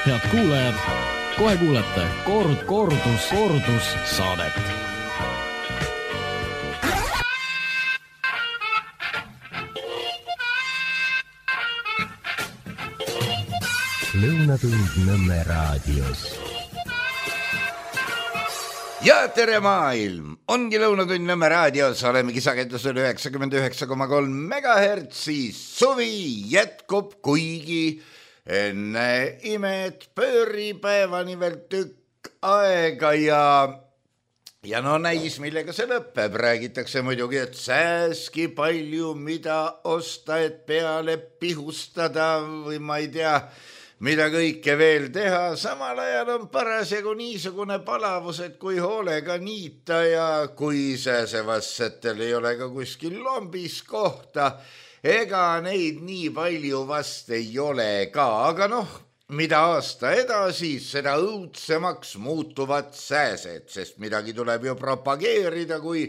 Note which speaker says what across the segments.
Speaker 1: Head kuulajad, kohe kuulete kordus saadet.
Speaker 2: Lõunatund Nõmme raadios.
Speaker 3: Ja tere maailm! Ongi Lõunatund Nõmme raadios, olemegi sagedusel 99,3 megahertsi. Suvi jätkub, kuigi enne imed pööripäevani veel tükk aega ja no näis, millega see lõpeb. Räägitakse muidugi, et sääski palju, mida osta, et peale pihustada või ma ei tea, mida kõike veel teha. Samal ajal on parasjagu niisugune palavus, et kui hoolega niita ja kui sääsevassetel ei ole ka kuskil lombis kohta, ega neid nii palju vast ei ole ka, aga noh, mida aasta edasi, seda õudsemaks muutuvad sääsed, sest midagi tuleb ju propageerida, kui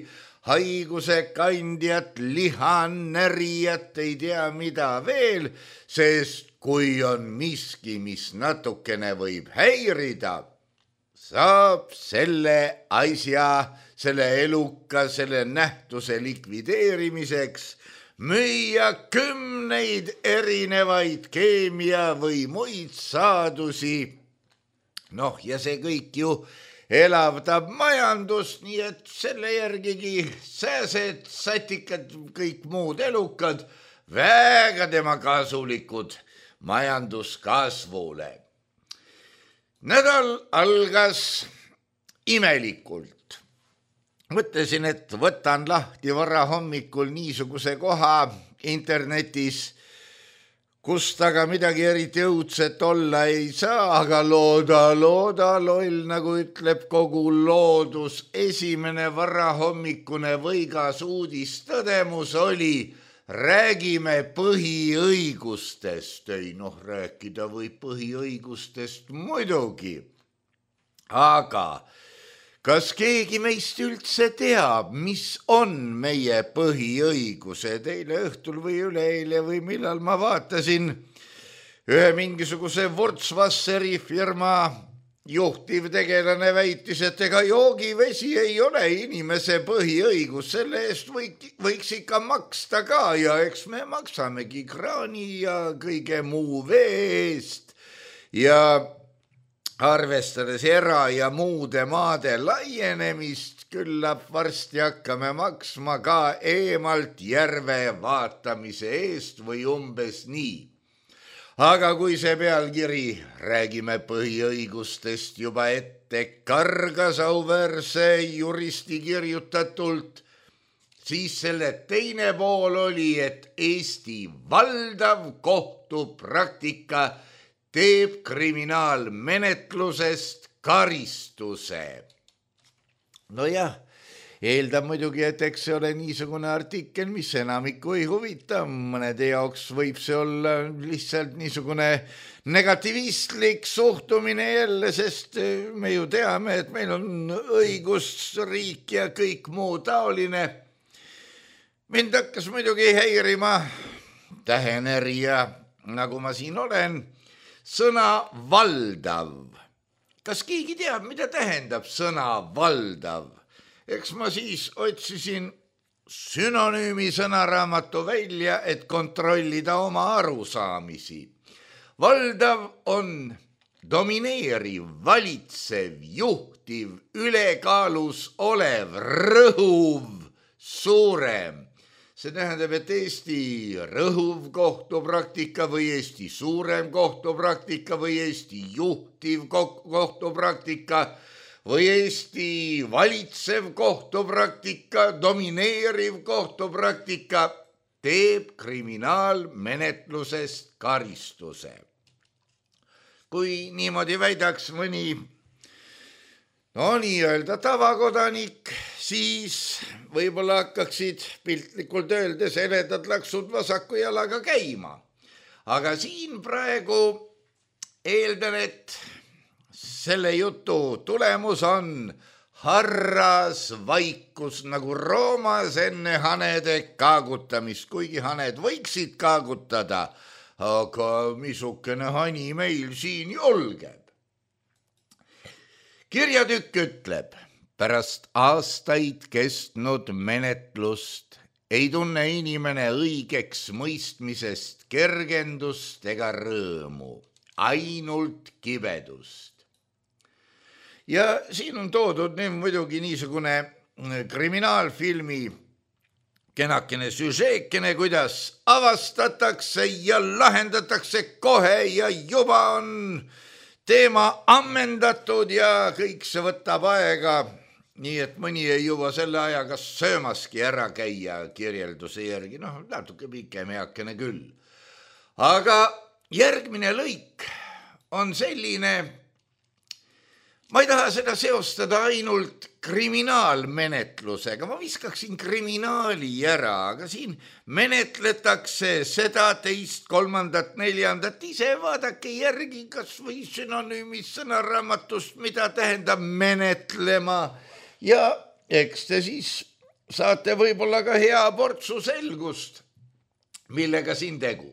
Speaker 3: haiguse kandjat, lihanärijat, ei tea mida veel, sest kui on miski, mis natukene võib häirida, saab selle asja, selle eluka, selle nähtuse likvideerimiseks müüa 10 erinevaid keemia või muid saadusi. Noh, ja see kõik ju elavdab majandust, nii et selle järgigi sääsed, satikad, kõik muud elukad, väga tema kasulikud majanduskasvule. Nädal algas imelikult. Mõtlesin, et võtan lahti vara hommikul niisuguse koha internetis, kust aga midagi eriti õudset olla ei saa, aga looda, loll, nagu ütleb kogu loodus. Esimene varahommikune võigas uudistõdemus oli: räägime põhiõigustest. Ei noh, rääkida võib põhiõigustest muidugi. Aga kas keegi meist üldse teab, mis on meie põhiõigused? Eile õhtul või üleeile või millal ma vaatasin ühe mingisuguse Wurzwasseri firma juhtivtegelane väitis, et ega joogivesi ei ole inimese põhiõigus, selle eest võiks ikka maksta ka ja eks me maksamegi kraani ja kõige muu vee eest ja arvestades era- ja muude maade laienemist, küllap varsti hakkame maksma ka eemalt järve vaatamise eest või umbes nii. Aga kui see pealkiri räägime põhiõigustest juba ette kargas auväärse juristi kirjutatult, siis selle teine pool oli, et Eesti valdav kohtupraktika teeb kriminaalmenetlusest karistuse. Nojah, eeldab muidugi, et eks see ole niisugune artikkel, mis enamikku ei huvita. Mõnede jaoks võib see olla lihtsalt niisugune negativistlik suhtumine jälle, sest me ju teame, et meil on õigusriik ja kõik muu taoline. Mind hakkas muidugi häirima tähenärija, nagu ma siin olen, sõna valdav. Kas keegi teab, mida tähendab sõna valdav? Eks ma siis otsisin sünonüümi sõnaraamatu välja, et kontrollida oma arusaamisi. Valdav on domineeriv, valitsev, juhtiv, ülekaalus olev, rõhuv, suurem. See tähendab, et Eesti rõhuv kohtupraktika või Eesti suurem kohtupraktika või Eesti juhtiv kohtupraktika või Eesti valitsev kohtupraktika, domineeriv kohtupraktika teeb kriminaalmenetlusest karistuse. Kui niimoodi väidaks mõni nii-öelda tavakodanik, siis võib-olla hakkaksid piltlikult öeldes eledad laksud vasaku jalaga käima. Aga siin praegu eeldan, et selle jutu tulemus on harras vaikus nagu Roomas enne hanede kaagutamist, kuigi haned võiksid kaagutada, aga missugune hani meil siin julgeb. Kirjatükk ütleb, pärast aastaid kestnud menetlust ei tunne inimene õigeks mõistmisest kergendust ega rõõmu, ainult kibedust. Ja siin on toodud muidugi niisugune kriminaalfilmi kenakene süžeekene, kuidas avastatakse ja lahendatakse kohe ja juba on teema ammendatud ja kõik see võtab aega, nii et mõni ei jõua selle ajaga söömaski ära käia kirjelduse järgi, natuke pikem eakene küll. Aga järgmine lõik on selline, ma ei taha seda seostada ainult kriminaalmenetlusega, ma viskaksin kriminaali ära, aga siin menetletakse seda, teist, kolmandat, neljandat, ise vaadake järgi kas või sünonüümis sõnaraamatust, mida tähendab menetlema ja eks te siis saate võib-olla ka hea portsu selgust, millega siin tegu.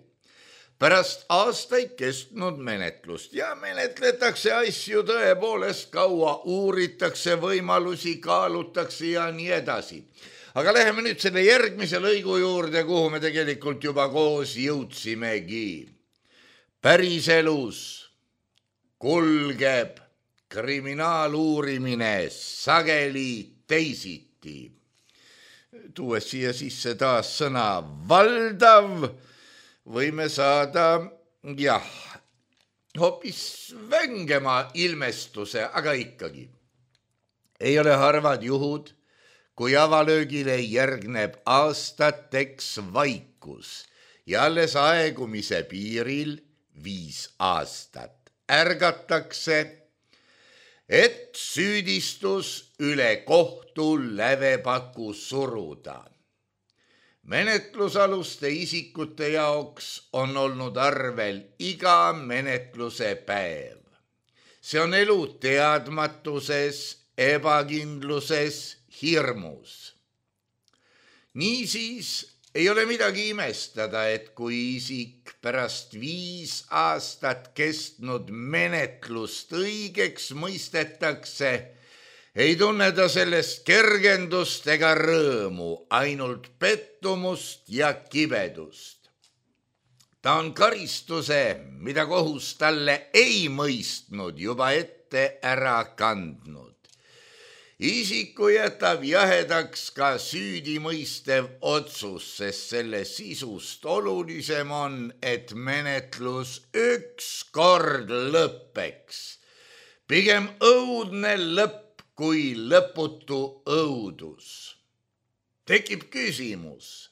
Speaker 3: Pärast aastaid kestnud menetlust ja menetletakse asju tõepoolest kaua, uuritakse võimalusi, kaalutakse ja nii edasi. Aga läheme nüüd selle järgmise lõigu juurde, kuhu me tegelikult juba koos jõudsimegi. Päriselus kulgeb kriminaaluurimine sageli teisiti. Tuues siia sisse taas sõna valdav, võime saada, hoopis vängema ilmestuse, aga ikkagi. Ei ole harvad juhud, kui avalöögile järgneb aastateks vaikus ja alles aegumise piiril 5 aastat. Ärgatakse, et süüdistus üle kohtu lävepaku suruda. Menetlusaluste isikute jaoks on olnud arvel iga menetluse päev. See on elu teadmatuses, ebakindluses, hirmus. Niisiis ei ole midagi imestada, et kui isik pärast 5 aastat kestnud menetlust õigeks mõistetakse, ei tunne ta sellest kergendust ega rõõmu, ainult pettumust ja kibedust. Ta on karistuse, mida kohus talle ei mõistnud, juba ette ära kandnud. Isiku jätab jahedaks ka süüdimõistev otsus, sest selle sisust olulisem on, et menetlus ükskord lõppeks. Pigem õudne lõpp kui lõputu õudus. Tekib küsimus,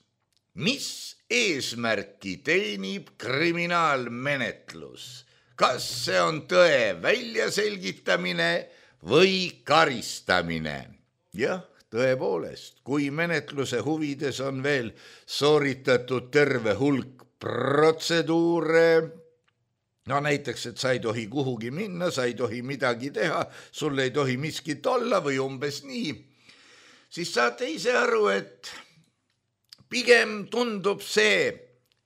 Speaker 3: mis eesmärki teenib kriminaalmenetlus? Kas see on tõe väljaselgitamine või karistamine? Jah, tõepoolest, kui menetluse huvides on veel sooritatud terve hulk protseduure, näiteks, et sa ei tohi kuhugi minna, sa ei tohi midagi teha, sul ei tohi miskit olla või umbes nii, siis saate ise aru, et pigem tundub see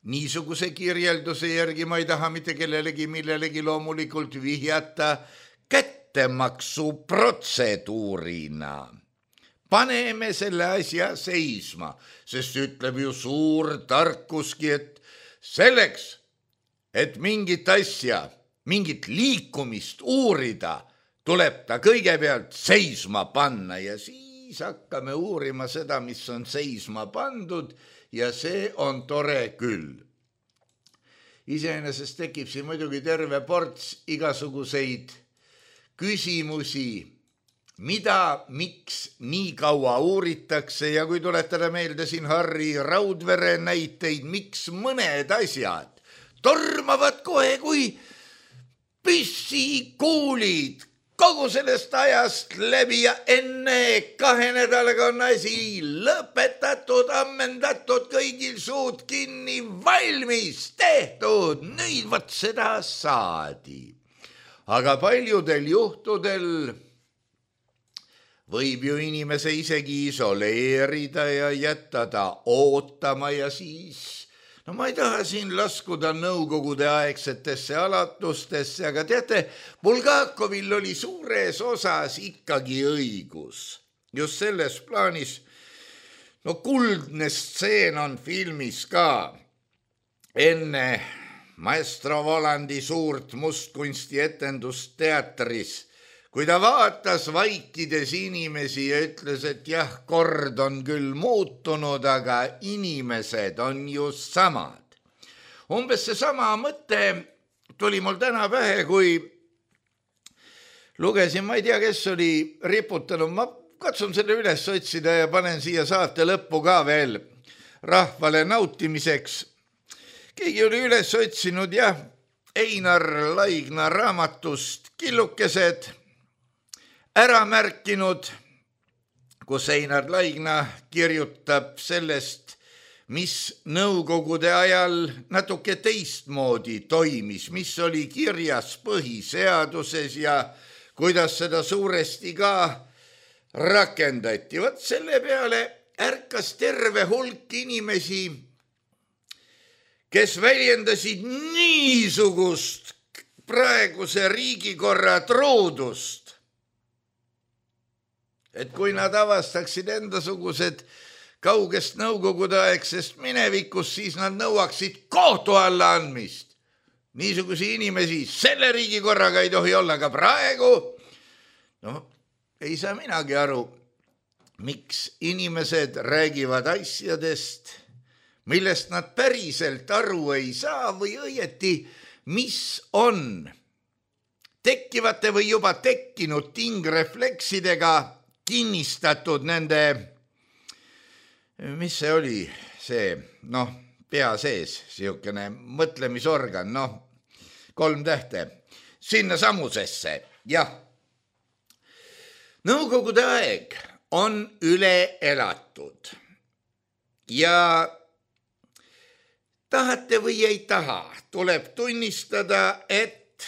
Speaker 3: niisuguse kirjelduse järgi, ma ei taha mitte kellelegi millelegi loomulikult vihjata, kättemaksu protseduurina. Paneme selle asja seisma, sest ütleb ju suur tarkuski, et selleks, et mingit asja, mingit liikumist uurida, tuleb ta kõigepealt seisma panna ja siis hakkame uurima seda, mis on seisma pandud ja see on tore küll. Iseenesest tekib siin muidugi terve ports igasuguseid küsimusi, mida, miks nii kaua uuritakse ja kui tuletada meelde siin Harri Raudvere näiteid, miks mõned asjad tormavad kohe kui püssikuulid kogu sellest ajast läbi ja enne 2 nädalaga on asi lõpetatud, ammendatud, kõigil suud kinni, valmis, tehtud, nüüd võt seda saadi. Aga paljudel juhtudel võib ju inimese isegi isoleerida ja jätta ta ootama ja siis no ma ei taha siin laskuda nõukogude aegsetesse alatustesse, aga teate, Bulgakovil oli suures osas ikkagi õigus. Just selles plaanis, no kuldne stseen on filmis ka. Enne maestro Volandi suurt mustkunsti etendust teatris, kui ta vaatas vaikides inimesi ja ütles, et jah, kord on küll muutunud, aga inimesed on ju samad. Umbes see sama mõte tuli mul täna pähe, kui lugesin, ma ei tea, kes oli riputanud, ma katsun selle üles otsida ja panen siia saate lõppu ka veel rahvale nautimiseks. Keegi oli üles otsinud, jah, Einar Laigna raamatust Killukesed, ära märkinud, kus Einar Laigna kirjutab sellest, mis nõukogude ajal natuke teistmoodi toimis, mis oli kirjas põhiseaduses ja kuidas seda suuresti ka rakendati. Vot selle peale ärkas terve hulk inimesi, kes väljendasid niisugust praeguse riigikorra truudust, et kui nad avastaksid endasugused kaugest nõukogude aegsest minevikust, siis nad nõuaksid kohtu alla andmist. Niisugusi inimesi selle riigikorraga ei tohi olla ka praegu. No, ei saa minagi aru, miks inimesed räägivad asjadest, millest nad päriselt aru ei saa või õieti, mis on tekkivate või juba tekkinud tingrefleksidega kinnistatud nende, mis see oli, see, pea sees, siukene mõtlemisorgan, 3 tähte, sinna samusesse, jah. Nõukogude aeg on üle elatud ja tahate või ei taha, tuleb tunnistada, et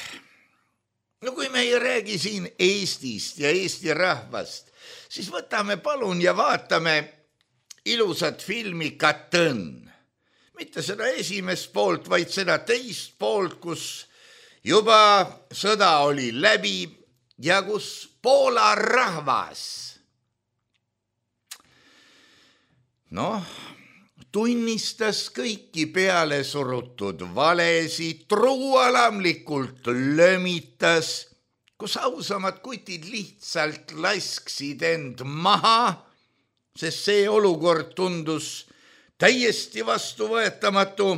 Speaker 3: kui me ei räägi siin Eestist ja Eesti rahvast, siis võtame palun ja vaatame ilusat filmi Katõnn. Mitte seda esimest poolt, vaid seda teist poolt, kus juba sõda oli läbi ja kus Poola rahvas tunnistas kõiki peale surutud valesid, truualamlikult lömitas, kus ausamad kutid lihtsalt lasksid end maha, sest see olukord tundus täiesti vastuvõetamatu,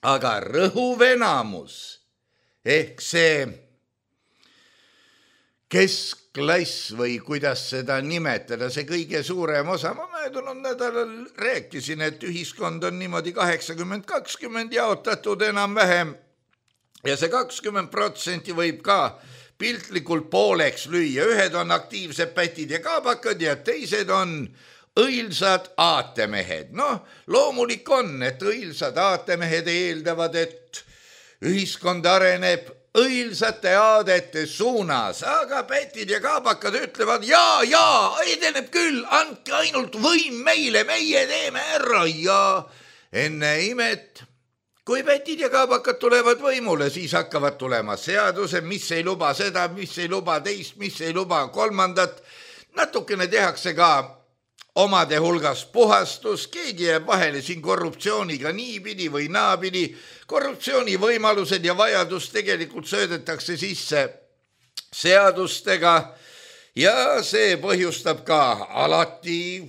Speaker 3: aga rõhuv enamus ehk see keskklass või kuidas seda nimetada, see kõige suurem osa, ma möödunud nädalal rääkisin, et ühiskond on niimoodi 80-20 jaotatud enam-vähem ja see 20% võib ka piltlikult pooleks lüüa, ühed on aktiivsed pätid ja kaabakad ja teised on õilsad aatemehed. Loomulik on, et õilsad aatemehed eeldavad, et ühiskond areneb õilsate aadete suunas, aga pätid ja kaabakad ütlevad jaa, edeneb küll, andke ainult võim meile, meie teeme ära ja enne imet, kui pätid ja kaabakad tulevad võimule, siis hakkavad tulema seadused, mis ei luba seda, mis ei luba teist, mis ei luba kolmandat, natukene tehakse ka omade hulgas puhastus, keegi jääb vahele siin korruptsiooniga niipidi või naapidi, korruptsiooni võimalused ja vajadus tegelikult söödetakse sisse seadustega ja see põhjustab ka alati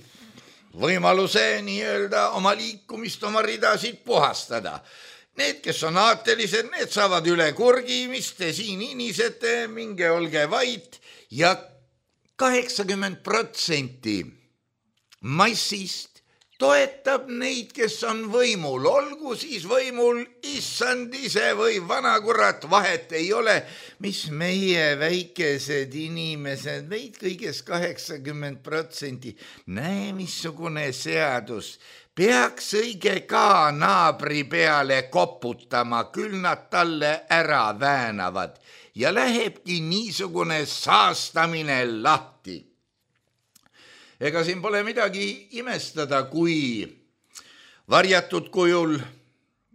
Speaker 3: võimaluse nii-öelda oma liikumist, oma ridasid puhastada. Need, kes on aatelised, need saavad üle kurgi, mis te siin inisete, minge olge vait ja 80% massist toetab neid, kes on võimul, olgu siis võimul issand ise või vanakurat, vahet ei ole, mis meie väikesed inimesed, meid kõigest 80%, näe missugune seadus, peaks õige ka naabri peale koputama, küll nad talle ära väänavad ja lähebki niisugune saastamine lahti. Ega siin pole midagi imestada, kui varjatud kujul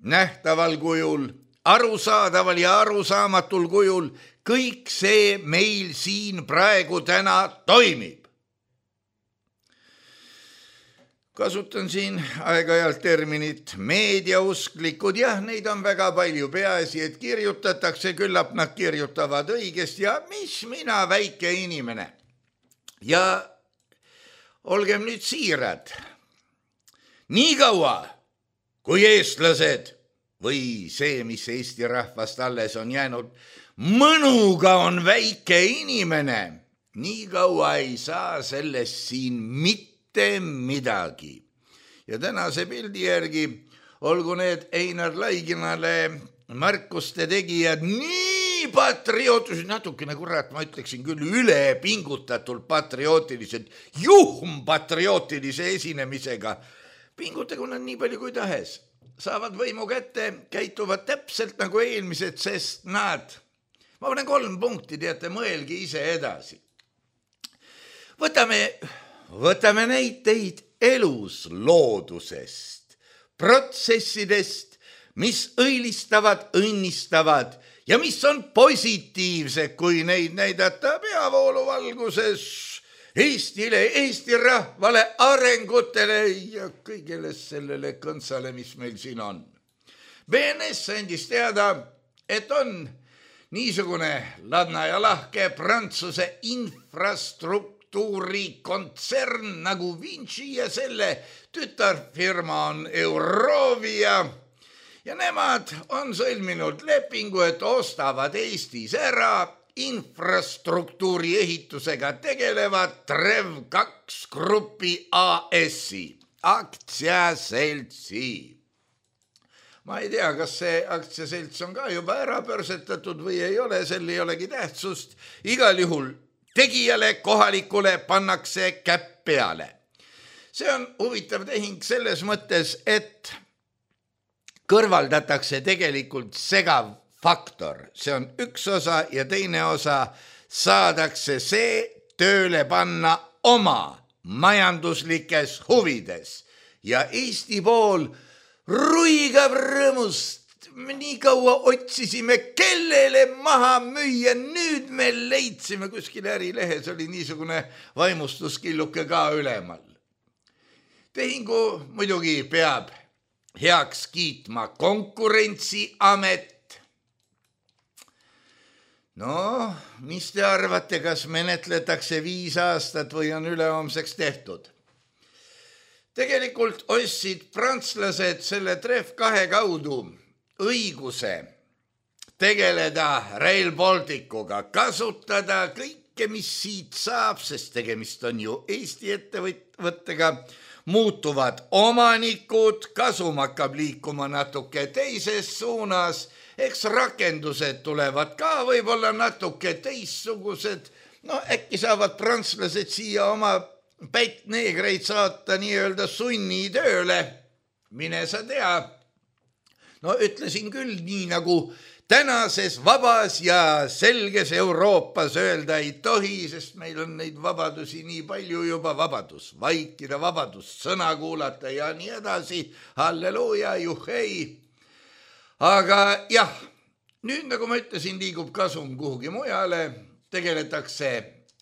Speaker 3: nähtaval kujul, arusaadaval ja arusaamatul kujul, kõik see meil siin praegu täna toimib. Kasutan siin aeg-ajalt terminit meediausklikud, jah, neid on väga palju, peaasi, et kirjutatakse, küllap nad kirjutavad õigesti ja mis mina, väike inimene. Ja olgem nüüd siirad, nii kaua kui eestlased või see, mis Eesti rahvast alles on jäänud, mõnuga on väike inimene, nii kaua ei saa sellest siin mitte midagi. Ja tänase pildi järgi olgu need Einar Laiginale märkuste tegijad nii patriootiliselt, natukene kurat, ma ütleksin küll üle pingutatult patriootiliselt, patriootilise esinemisega. Pingutagu nad nii palju kui tahes, saavad võimu kätte, käituvad täpselt nagu eelmised, sest nad, ma panen 3 punkti, teate, mõelge ise edasi. Võtame näiteid elus loodusest, protsessidest, mis õilistavad, õnnistavad ja mis on positiivsed, kui neid näidata peavoolu valguses Eestile, Eesti rahvale, arengutele ja kõigele sellele kõntsale, mis meil siin on. BNS andis teada, et on niisugune ladna ja lahke Prantsuse infrastruktuuri kontsern nagu Vinci ja selle tütarfirma on Eurovia ja nemad on sõlminud lepingu, et ostavad Eestis ära infrastruktuuri ehitusega tegelevad Trev2 Grupi AS-i, aktsiaseltsi. Ma ei tea, kas see aktsiaselts on ka juba ära pörsetatud või ei ole, sel ei olegi tähtsust. Igal juhul tegijale kohalikule pannakse käpp peale. See on huvitav tehing selles mõttes, et kõrvaldatakse tegelikult segav faktor. See on üks osa ja teine osa saadakse see tööle panna oma majanduslikes huvides. Ja Eesti pool ruigab rõõmust. Nii kaua otsisime, kellele maha müüa, nüüd me leidsime kuskil Ärilehes, oli niisugune vaimustuskilluke ka ülemal. Tehingu muidugi peab heaks kiitma Konkurentsiamet. No, mis te arvate, kas menetletakse 5 aastat või on ülehomseks tehtud? Tegelikult ostsid prantslased selle Trev2 kaudu õiguse tegeleda Rail Balticuga, kasutada kõike, mis siit saab, sest tegemist on ju Eesti ettevõttega, muutuvad omanikud, kasum hakkab liikuma natuke teises suunas, eks rakendused tulevad ka võib-olla natuke teissugused, no äkki saavad prantslased siia oma pättneegreid saata nii-öelda sunnitööle, mine sa tea. No ütlesin küll nii nagu tänases vabas ja selges Euroopas öelda ei tohi, sest meil on neid vabadusi nii palju juba, vabadus vaikida, vabadus sõna kuulata ja nii edasi, halleluuja, juhhei. Aga jah, nüüd nagu ma ütlesin, liigub kasum kuhugi mujale, tegeletakse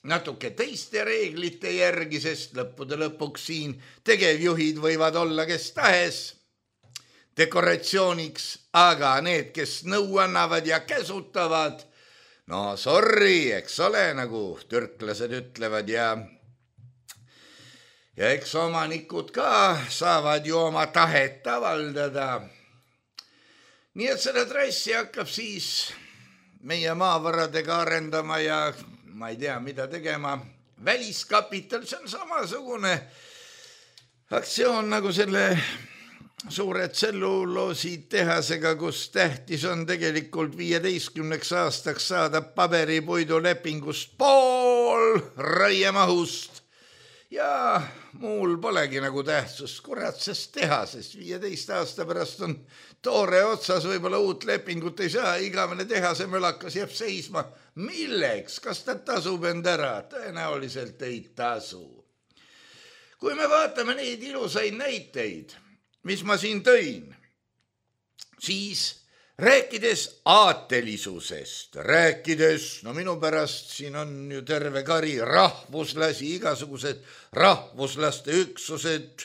Speaker 3: natuke teiste reeglite järgi, sest lõppude lõpuks siin tegevjuhid võivad olla kes tahes, dekoratsiooniks, aga need, kes nõu annavad ja käsutavad, no sorry, eks ole, nagu türklased ütlevad ja eks omanikud ka saavad ju oma tahet avaldada. Nii et seda trassi hakkab siis meie maavaradega arendama ja ma ei tea, mida tegema. Väliskapital, see on samasugune aktsioon nagu selle suure tselluloositehasega, kus tähtis on tegelikult 15 aastaks saada paberipuidulepingust pool raiemahust. Ja muul polegi nagu tähtsust, kurat, sest tehases 15 aasta pärast on toore otsas, võib-olla uut lepingut ei saa, igavene tehase mölakas jääb seisma. Milleks? Kas ta tasub end ära? Tõenäoliselt ei tasu. Kui me vaatame neid ilusaid näiteid, mis ma siin tõin, siis rääkides aatelisusest, no minu pärast siin on ju terve kari rahvuslasi, igasugused rahvuslaste üksused,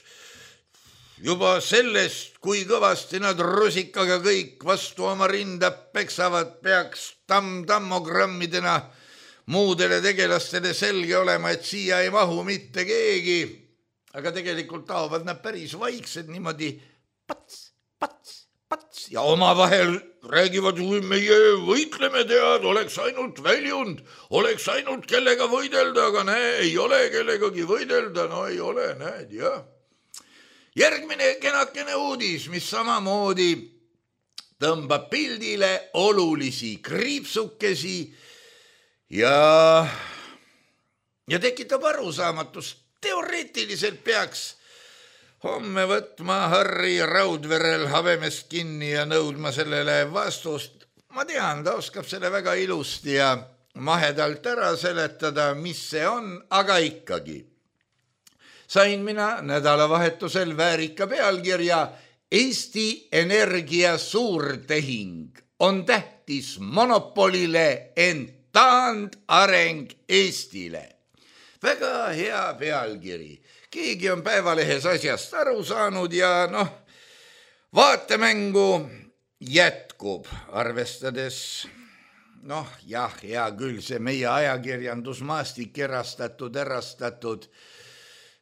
Speaker 3: juba sellest, kui kõvasti nad rusikaga kõik vastu oma rinda peksavad, peaks tammogrammidena muudele tegelastele selge olema, et siia ei mahu mitte keegi, aga tegelikult taovad nad päris vaiksed niimoodi pats ja omavahel räägivad, kui meie võitleme, tead, oleks ainult väljund, oleks ainult kellega võidelda, aga ei ole kellegagi võidelda, no ei ole, näed, jah. Järgmine kenakene uudis, mis samamoodi tõmbab pildile olulisi kriipsukesi ja tekitab arusaamatust. Teoreetiliselt peaks homme võtma Harri Raudverel habemest kinni ja nõudma sellele vastust. Ma tean, ta oskab selle väga ilusti ja mahedalt ära seletada, mis see on, aga ikkagi. Sain mina nädalavahetusel väärika pealkirja Eesti Energia suurtehing on tähtis monopolile, ent taandareng Eestile. Väga hea pealkiri. Keegi on Päevalehes asjast aru saanud ja vaatemängu jätkub, arvestades, hea küll, see meie ajakirjandusmaastik erastatud,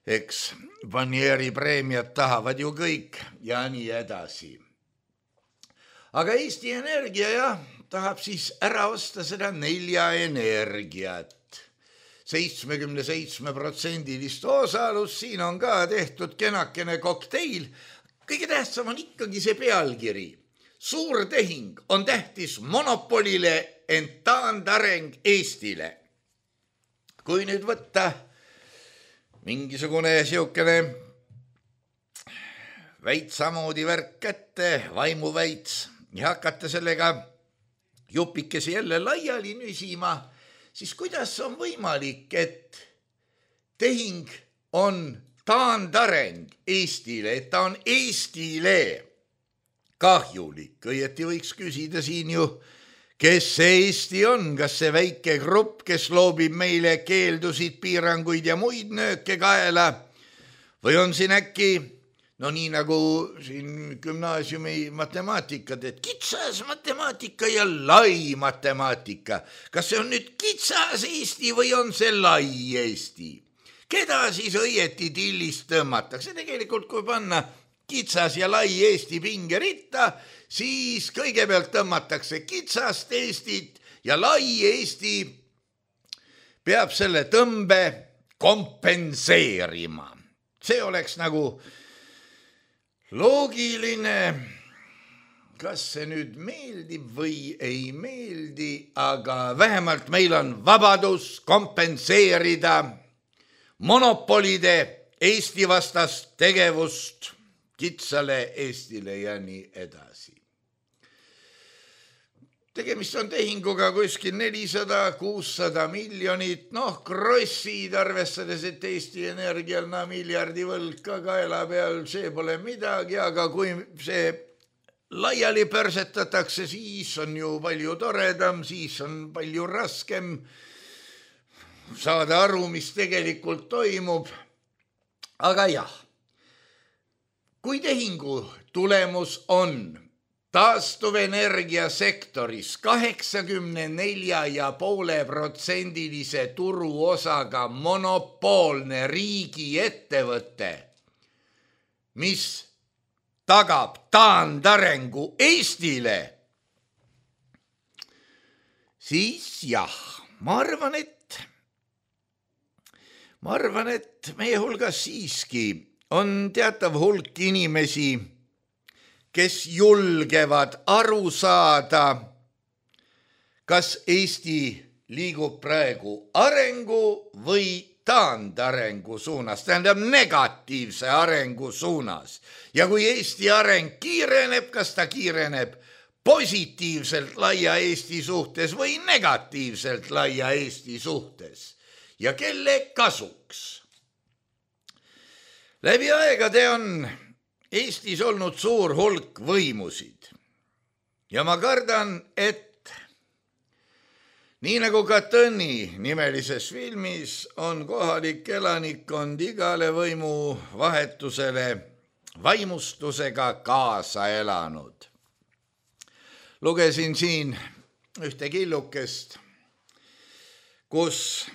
Speaker 3: eks Vanieri preemiat tahavad ju kõik ja nii edasi. Aga Eesti Energia tahab siis ära osta seda 4 energiat. 77% osalus, siin on ka tehtud kenakene kokteil. Kõige tähtsam on ikkagi see pealkiri. Suurtehing on tähtis monopolile, ent taandareng Eestile. Kui nüüd võtta mingisugune siukene väitsamoodi värk kätte, vaimuväits, ja hakata sellega jupikesi jälle laiali nüsima, siis kuidas on võimalik, et tehing on taandareng Eestile, et ta on Eestile kahjulik. Õieti võiks küsida siin ju, kes see Eesti on, kas see väike grupp, kes loobib meile keeldusid, piiranguid ja muid nööke kaela, või on siin äkki, nii nagu siin gümnaasiumi matemaatikat, et kitsas matemaatika ja lai matemaatika. Kas see on nüüd kitsas Eesti või on see lai Eesti? Keda siis õieti tillist tõmmatakse? Tegelikult kui panna kitsas ja lai Eesti pingeritta, siis kõigepealt tõmmatakse kitsast Eestit ja lai Eesti peab selle tõmbe kompenseerima. See oleks nagu loogiline, kas see nüüd meeldib või ei meeldi, aga vähemalt meil on vabadus kompenseerida monopolide Eesti vastast tegevust kitsale Eestile ja nii edasi. Tegemist on tehinguga kuskil 400-600 miljonit, krossid, arvestades, et Eesti Energial miljardi võlg ka kaela peal, see pole midagi, aga kui see laiali pörsetatakse, siis on ju palju toredam, siis on palju raskem saada aru, mis tegelikult toimub. Aga jah, kui tehingu tulemus on taastuvenergia sektoris 84,5% turuosaga monopoolne riigiettevõte, mis tagab taandarengu Eestile, siis jah, ma arvan, et meie hulgas siiski on teatav hulk inimesi, kes julgevad aru saada, kas Eesti liigub praegu arengu või taandarengu suunas, tähendab negatiivse arengu suunas. Ja kui Eesti areng kiireneb, kas ta kiireneb positiivselt laia Eesti suhtes või negatiivselt laia Eesti suhtes ja kelle kasuks? Läbi aegade on Eestis olnud suur hulk võimusid ja ma kardan, et nii nagu Katõni nimelises filmis on kohalik elanikkond igale võimu vahetusele vaimustusega kaasa elanud. Lugesin siin ühte killukest, kus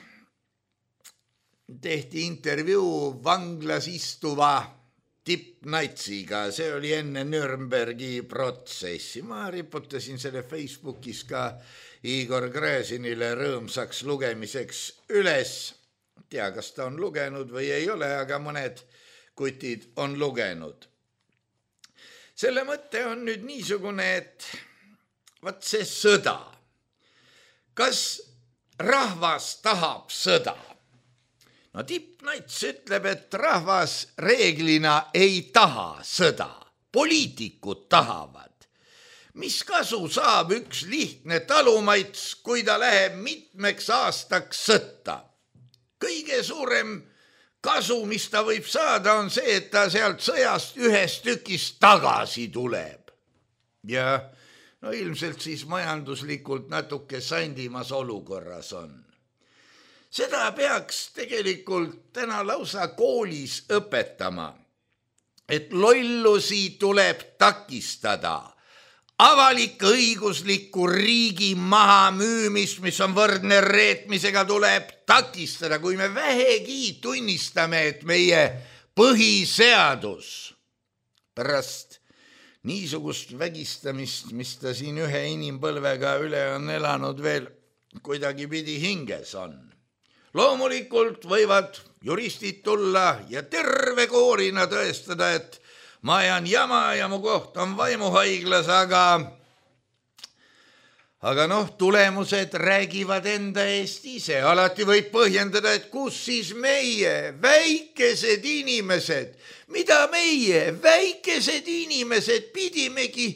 Speaker 3: tehti intervjuu vanglas istuva tippnatsiga, see oli enne Nürnbergi protsessi. Ma riputasin selle Facebookis ka Igor Gräzinile rõõmsaks lugemiseks üles. Tea, kas ta on lugenud või ei ole, aga mõned kutid on lugenud. Selle mõte on nüüd niisugune, et vaat see sõda. Kas rahvas tahab sõda? No tippnats ütleb, et rahvas reeglina ei taha sõda. Poliitikud tahavad. Mis kasu saab üks lihtne talumaits, kui ta läheb mitmeks aastaks sõtta? Kõige suurem kasu, mis ta võib saada, on see, et ta sealt sõjast ühes tükis tagasi tuleb. Ja no ilmselt siis majanduslikult natuke sandimas olukorras on. Seda peaks tegelikult täna lausa koolis õpetama, et lollusi tuleb takistada. Avalik-õigusliku riigi mahamüümist, mis on võrdne reetmisega, tuleb takistada, kui me vähegi tunnistame, et meie põhiseadus pärast niisugust vägistamist, mis ta siin ühe inimpõlvega üle on elanud, veel kuidagi pidi hinges on. Loomulikult võivad juristid tulla ja terve koorina tõestada, et ma ajan jama ja mu koht on vaimuhaiglas, aga tulemused räägivad enda eest ise. Alati võib põhjendada, et kus siis meie, väikesed inimesed, mida meie, väikesed inimesed pidimegi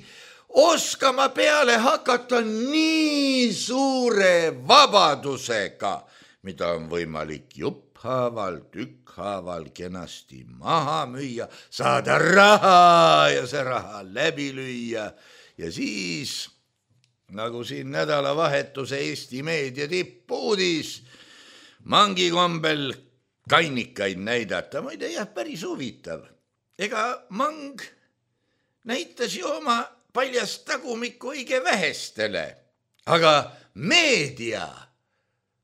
Speaker 3: oskama peale hakata nii suure vabadusega, mida on võimalik jupphaaval, tükkhaaval kenasti maha müüa, saada raha ja see raha läbi lüüa ja siis, nagu siin nädalavahetuse Eesti meedia tippuudis, mangi kombel kannikaid näidata. Muide, jah, päris huvitav. Ega mang näitas ju oma paljast tagumikku õige vähestele, aga meedia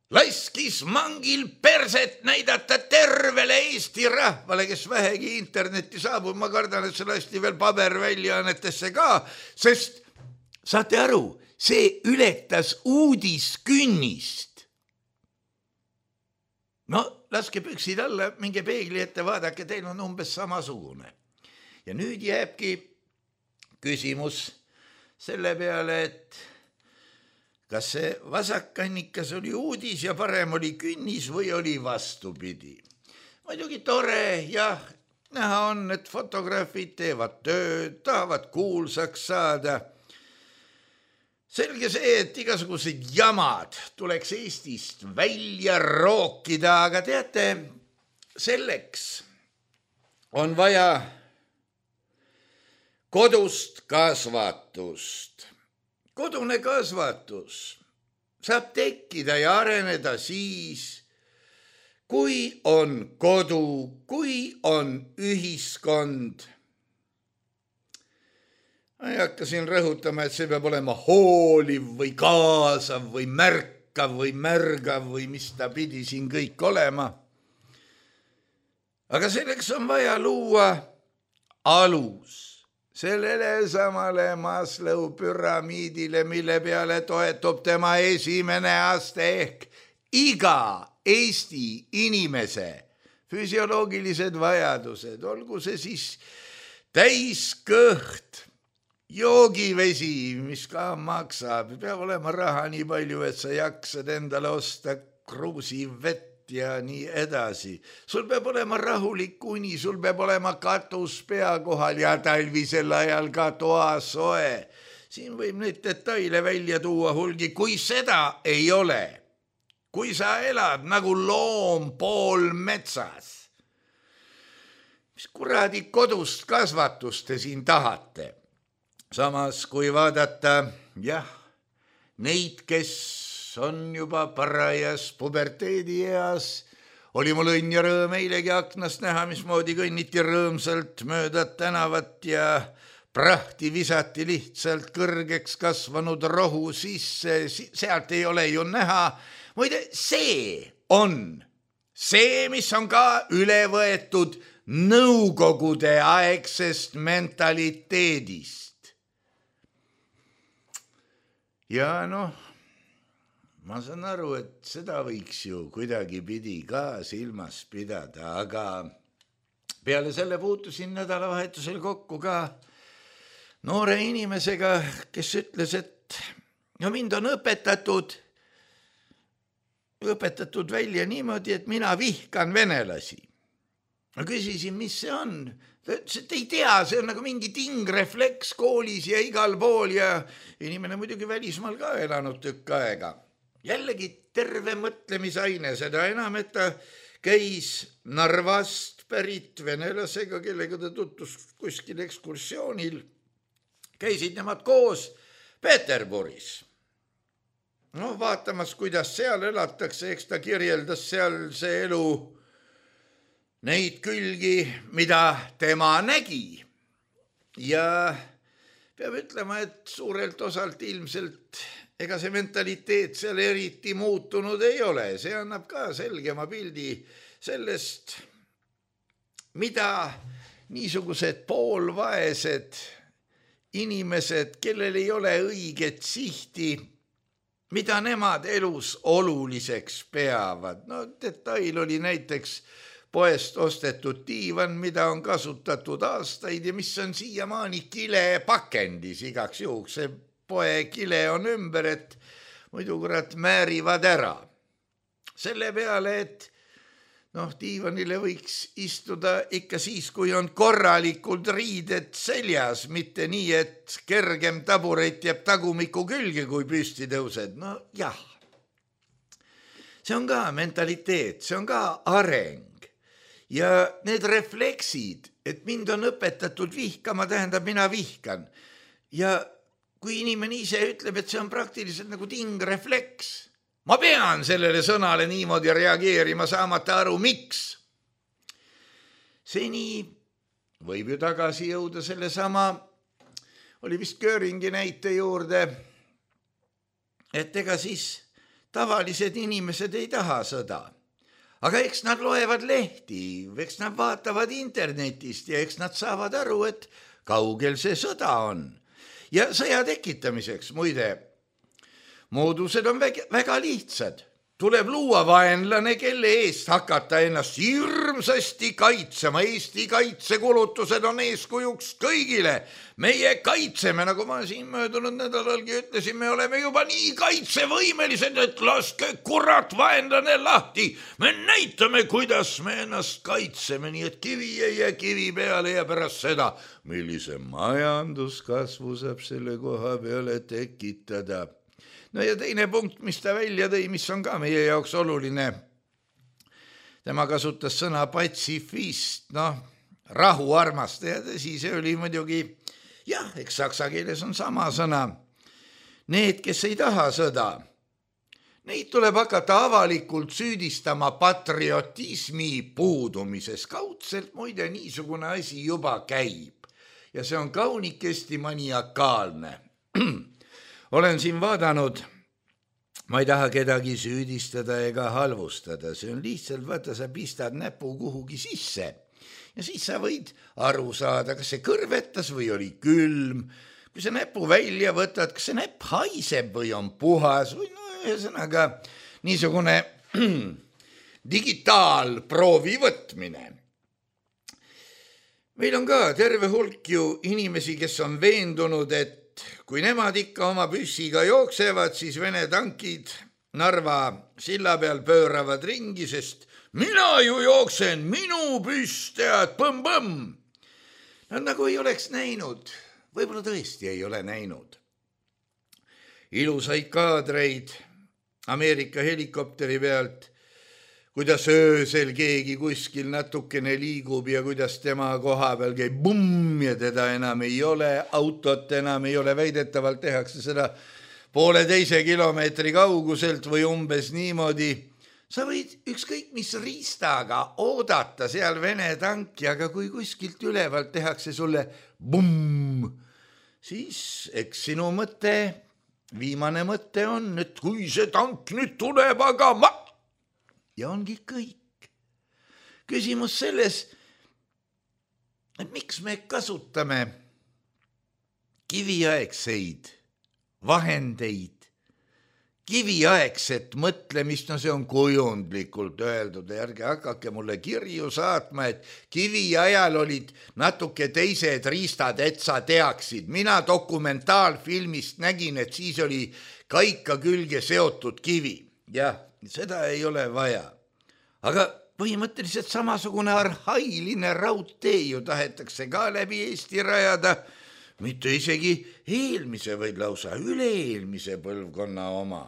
Speaker 3: laskis mangil perset näidata tervele Eesti rahvale, kes vähegi internetti saabub. Ma kardan, et see lasti veel paberväljaannetesse ka, sest saate aru, see ületas uudiskünnist. No, laske püksid alla, minge peegli ette, vaadake, teil on umbes samasugune. Ja nüüd jääbki küsimus selle peale, et kas see vasakkannikas oli uudis ja parem oli künnis või oli vastupidi. Muidugi tore, jah, näha on, et fotograafid teevad tööd, tahavad kuulsaks saada. Selge see, et igasugused jamad tuleks Eestist välja rookida, aga teate, selleks on vaja kodust kasvatust. Kodune kasvatus saab tekkida ja areneda siis, kui on kodu, kui on ühiskond. Ma ei hakka siin rõhutama, et see peab olema hooliv või kaasav või märkav või märgav või mis ta pidi siin kõik olema. Aga selleks on vaja luua alus. Sellele samale Maslow püramiidile, mille peale toetub tema esimene aste ehk iga Eesti inimese füsioloogilised vajadused, olgu see siis täiskõht, joogivesi, mis ka maksab, peab olema raha nii palju, et sa jaksad endale osta kruusivett ja nii edasi. Sul peab olema rahulik uni, sul peab olema katus pea kohal ja talvisel ajal ka toasoe. Siin võib neid detaile välja tuua hulgi, kui seda ei ole. Kui sa elad nagu loom pool metsas. Mis kuradi kodust kasvatust te siin tahate? samas kui vaadata, neid, kes on juba parajas puberteedieas, oli mul õnn ja rõõm eilegi aknast näha, mismoodi kõnniti rõõmsalt mööda tänavat ja prahti visati lihtsalt kõrgeks kasvanud rohu sisse, sealt ei ole ju näha. Muide, see on see, mis on ka üle võetud nõukogude aegsest mentaliteedist. Ja ma saan aru, et seda võiks ju kuidagi pidi ka silmas pidada, aga peale selle puutusin nädalavahetusel kokku ka noore inimesega, kes ütles, et mind on õpetatud välja niimoodi, et mina vihkan venelasi. Ma küsisin, mis see on? Ta ütles, et ei tea, see on nagu mingi tingrefleks koolis ja igal pool ja inimene muidugi välismaal ka elanud tükk aega. Jällegi terve mõtlemisaine, seda enam, et ta käis Narvast pärit venelasega, kellega ta tutvus kuskil ekskursioonil. Käisid nemad koos Peterburis. Vaatamas, kuidas seal elatakse, eks ta kirjeldas seal see elu neid külgi, mida tema nägi. Ja peab ütlema, et suurelt osalt ilmselt ega see mentaliteet seal eriti muutunud ei ole. See annab ka selgema pildi sellest, mida niisugused poolvaesed inimesed, kellel ei ole õiget sihti, mida nemad elus oluliseks peavad. Detail oli näiteks poest ostetud diivan, mida on kasutatud aastaid ja mis on siiamaani kilepakendis igaks juhuks. See poe kile on ümber, et muidu kurat määrivad ära. Selle peale, et diivanile võiks istuda ikka siis, kui on korralikult riided seljas, mitte nii, et kergem taburet jääb tagumiku külge, kui püsti tõused. Jah, see on ka mentaliteet, see on ka areng. Ja need refleksid, et mind on õpetatud vihkama, tähendab, mina vihkan. Ja kui inimene ise ütleb, et see on praktiliselt nagu tingrefleks, ma pean sellele sõnale niimoodi reageerima, saamata aru, miks. Seni võib ju tagasi jõuda selle sama, oli vist Göringi näite juurde, et ega siis tavalised inimesed ei taha sõda. Aga eks nad loevad lehti, eks nad vaatavad internetist ja eks nad saavad aru, et kaugel see sõda on. Ja sõja tekitamiseks, muide, moodused on väga lihtsad. Tuleb luua vaenlane, kelle eest hakata ennast hirmsasti kaitsema. Eesti kaitsekulutused on eeskujuks kõigile. Meie kaitseme, nagu ma siin möödunud nädalalgi ütlesin, me oleme juba nii kaitsevõimelised, et laske kurat vaenlane lahti. Me näitame, kuidas me ennast kaitseme, nii et kivi ei jää kivi peale ja pärast seda, millise majanduskasvu saab selle koha peale tekitada. Ja teine punkt, mis ta välja tõi, mis on ka meie jaoks oluline. Tema kasutas sõna patsifist, rahuarmastaja, tõsi, see oli muidugi, eks saksa keeles on sama sõna. Need, kes ei taha sõda, neid tuleb hakata avalikult süüdistama patriotismi puudumises. Kaudselt muide niisugune asi juba käib ja see on kaunikesti maniakaalne. Olen siin vaadanud, ma ei taha kedagi süüdistada ega halvustada, see on lihtsalt, vaata, sa pistad näpu kuhugi sisse ja siis sa võid aru saada, kas see kõrvetas või oli külm, kui sa näpu välja võtad, kas see näpp haiseb või on puhas või ühesõnaga niisugune digitaalproovi võtmine. Meil on ka terve hulk ju inimesi, kes on veendunud, et kui nemad ikka oma püssiga jooksevad, siis Vene tankid Narva silla peal pööravad ringi, sest mina ju jooksen, minu püss, tead, põmm-põmm. Nad nagu ei oleks näinud, võib-olla tõesti ei ole näinud. Ilusaid kaadreid Ameerika helikopteri pealt, kuidas öösel keegi kuskil natukene liigub ja kuidas tema koha peal käib bumm ja teda enam ei ole, autot enam ei ole, väidetavalt tehakse seda 1,5 kilomeetri kauguselt või umbes niimoodi. Sa võid ükskõik mis riistaga oodata seal Vene tanki, aga kui kuskilt ülevalt tehakse sulle bumm, siis eks sinu mõte, viimane mõte on, et kui see tank nüüd tuleb, aga ma... Ja ongi kõik. Küsimus selles, et miks me kasutame kiviaegseid vahendeid, kiviaegset mõtlemist, no see on kujundlikult öeldud, ärge hakake mulle kirju saatma, et kivi ajal olid natuke teised riistad, et sa teaksid. Mina dokumentaalfilmist nägin, et siis oli kaika külge seotud kivi. Jah, seda ei ole vaja. Aga põhimõtteliselt samasugune arhailine raudtee ju tahetakse ka läbi Eesti rajada, mitte isegi eelmise, vaid lausa üle-eelmise põlvkonna oma.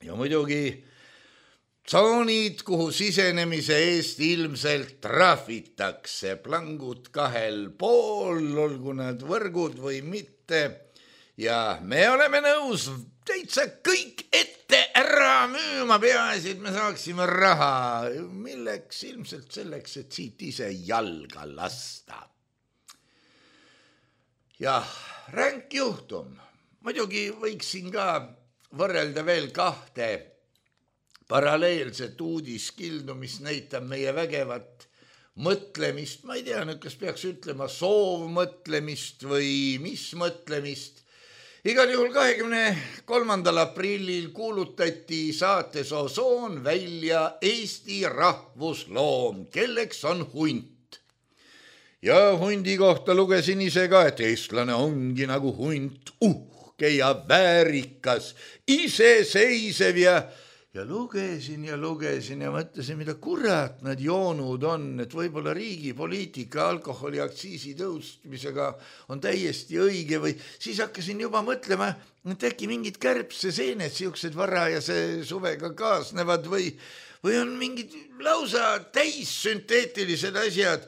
Speaker 3: Ja muidugi tsoonid, kuhu sisenemise eest ilmselt trahvitakse, plangud 2,5, olgu nad võrgud või mitte. Ja me oleme nõus täitsa kõik ette ära müüma, peaasi, et me saaksime raha. Milleks? Ilmselt selleks, et siit ise jalga lasta. Jah, ränk juhtum. Muidugi võiksin ka võrrelda veel 2 paralleelset uudiskildu, mis näitab meie vägevat mõtlemist. Ma ei tea, kas peaks ütlema soovmõtlemist või mis mõtlemist. Igal juhul 23. aprillil kuulutati saates Osoon välja Eesti rahvusloom, kelleks on hunt. Ja hundi kohta lugesin ise ka, et eestlane ongi nagu hunt, uhke ja väärikas, iseseisev ja lugesin ja mõtlesin, mida kurat nad joonud on, et võib-olla riigi poliitika alkoholiaktsiisi tõustmisega on täiesti õige või siis hakkasin juba mõtlema, et äkki mingid kärbseseened siuksed varajase suvega kaasnevad või on mingid lausa täissünteetilised asjad,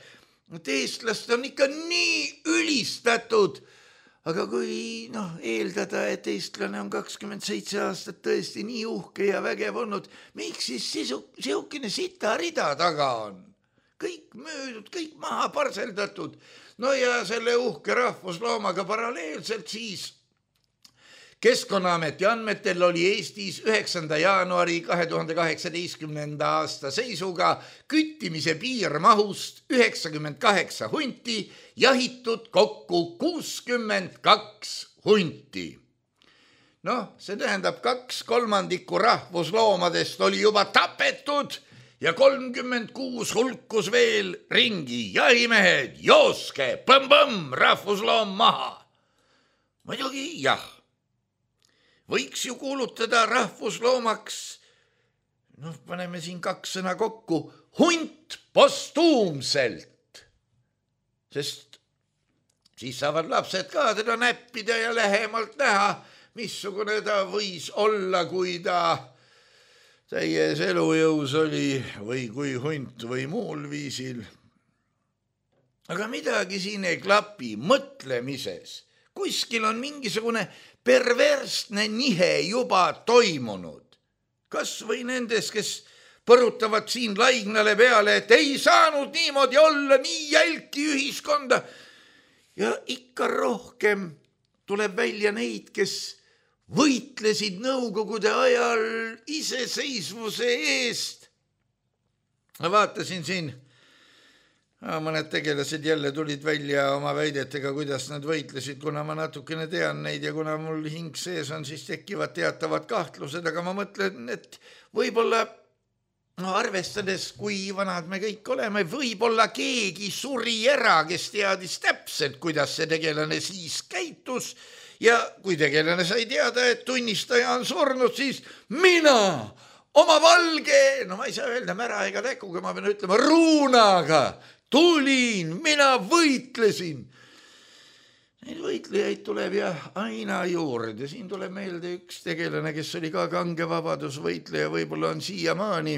Speaker 3: et eestlast on ikka nii ülistatud. Aga kui eeldada, et eestlane on 27 aastat tõesti nii uhke ja vägev olnud, miks siis siukene sitarida taga on? Kõik müüdud, kõik maha parseldatud. No ja selle uhke rahvusloomaga paralleelselt siis Keskkonnaameti andmetel oli Eestis 9. jaanuari 2018. aasta seisuga küttimise piirmahust 98 hunti, jahitud kokku 62 hunti. See tähendab 2/3 rahvusloomadest oli juba tapetud ja 36 hulkus veel ringi. Jahimehed, jooske, põmm-põmm, rahvusloom maha. Muidugi jah. Võiks ju kuulutada rahvusloomaks, paneme siin 2 sõna kokku, hunt postuumselt, sest siis saavad lapsed ka teda näppida ja lähemalt näha, missugune ta võis olla, kui ta täies elujõus oli või kui hunt või muul viisil. Aga midagi siin ei klapi mõtlemises. Kuskil on mingisugune perversne nihe juba toimunud. Kas või nendes, kes põrutavad siin laignale peale, et ei saanud niimoodi olla, nii jälki ühiskonda. Ja ikka rohkem tuleb välja neid, kes võitlesid nõukogude ajal iseseisvuse eest. Ma vaatasin siin, mõned tegelased jälle tulid välja oma väidetega, kuidas nad võitlesid, kuna ma natukene tean neid ja kuna mul hing sees on, siis tekivad teatavad kahtlused, aga ma mõtlen, et võib-olla, arvestades, kui vanad me kõik oleme, võib-olla keegi suri ära, kes teadis täpselt, kuidas see tegelane siis käitus ja kui tegelane sai teada, et tunnistaja on surnud, siis mina oma valge, ma ei saa öelda mära ega täkuga, ma pean ütlema ruunaga, tulin, mina võitlesin. Neid võitlejaid tuleb ja aina juurde. Siin tuleb meelde üks tegelane, kes oli ka kange vabadusvõitleja, võib-olla on siiamaani.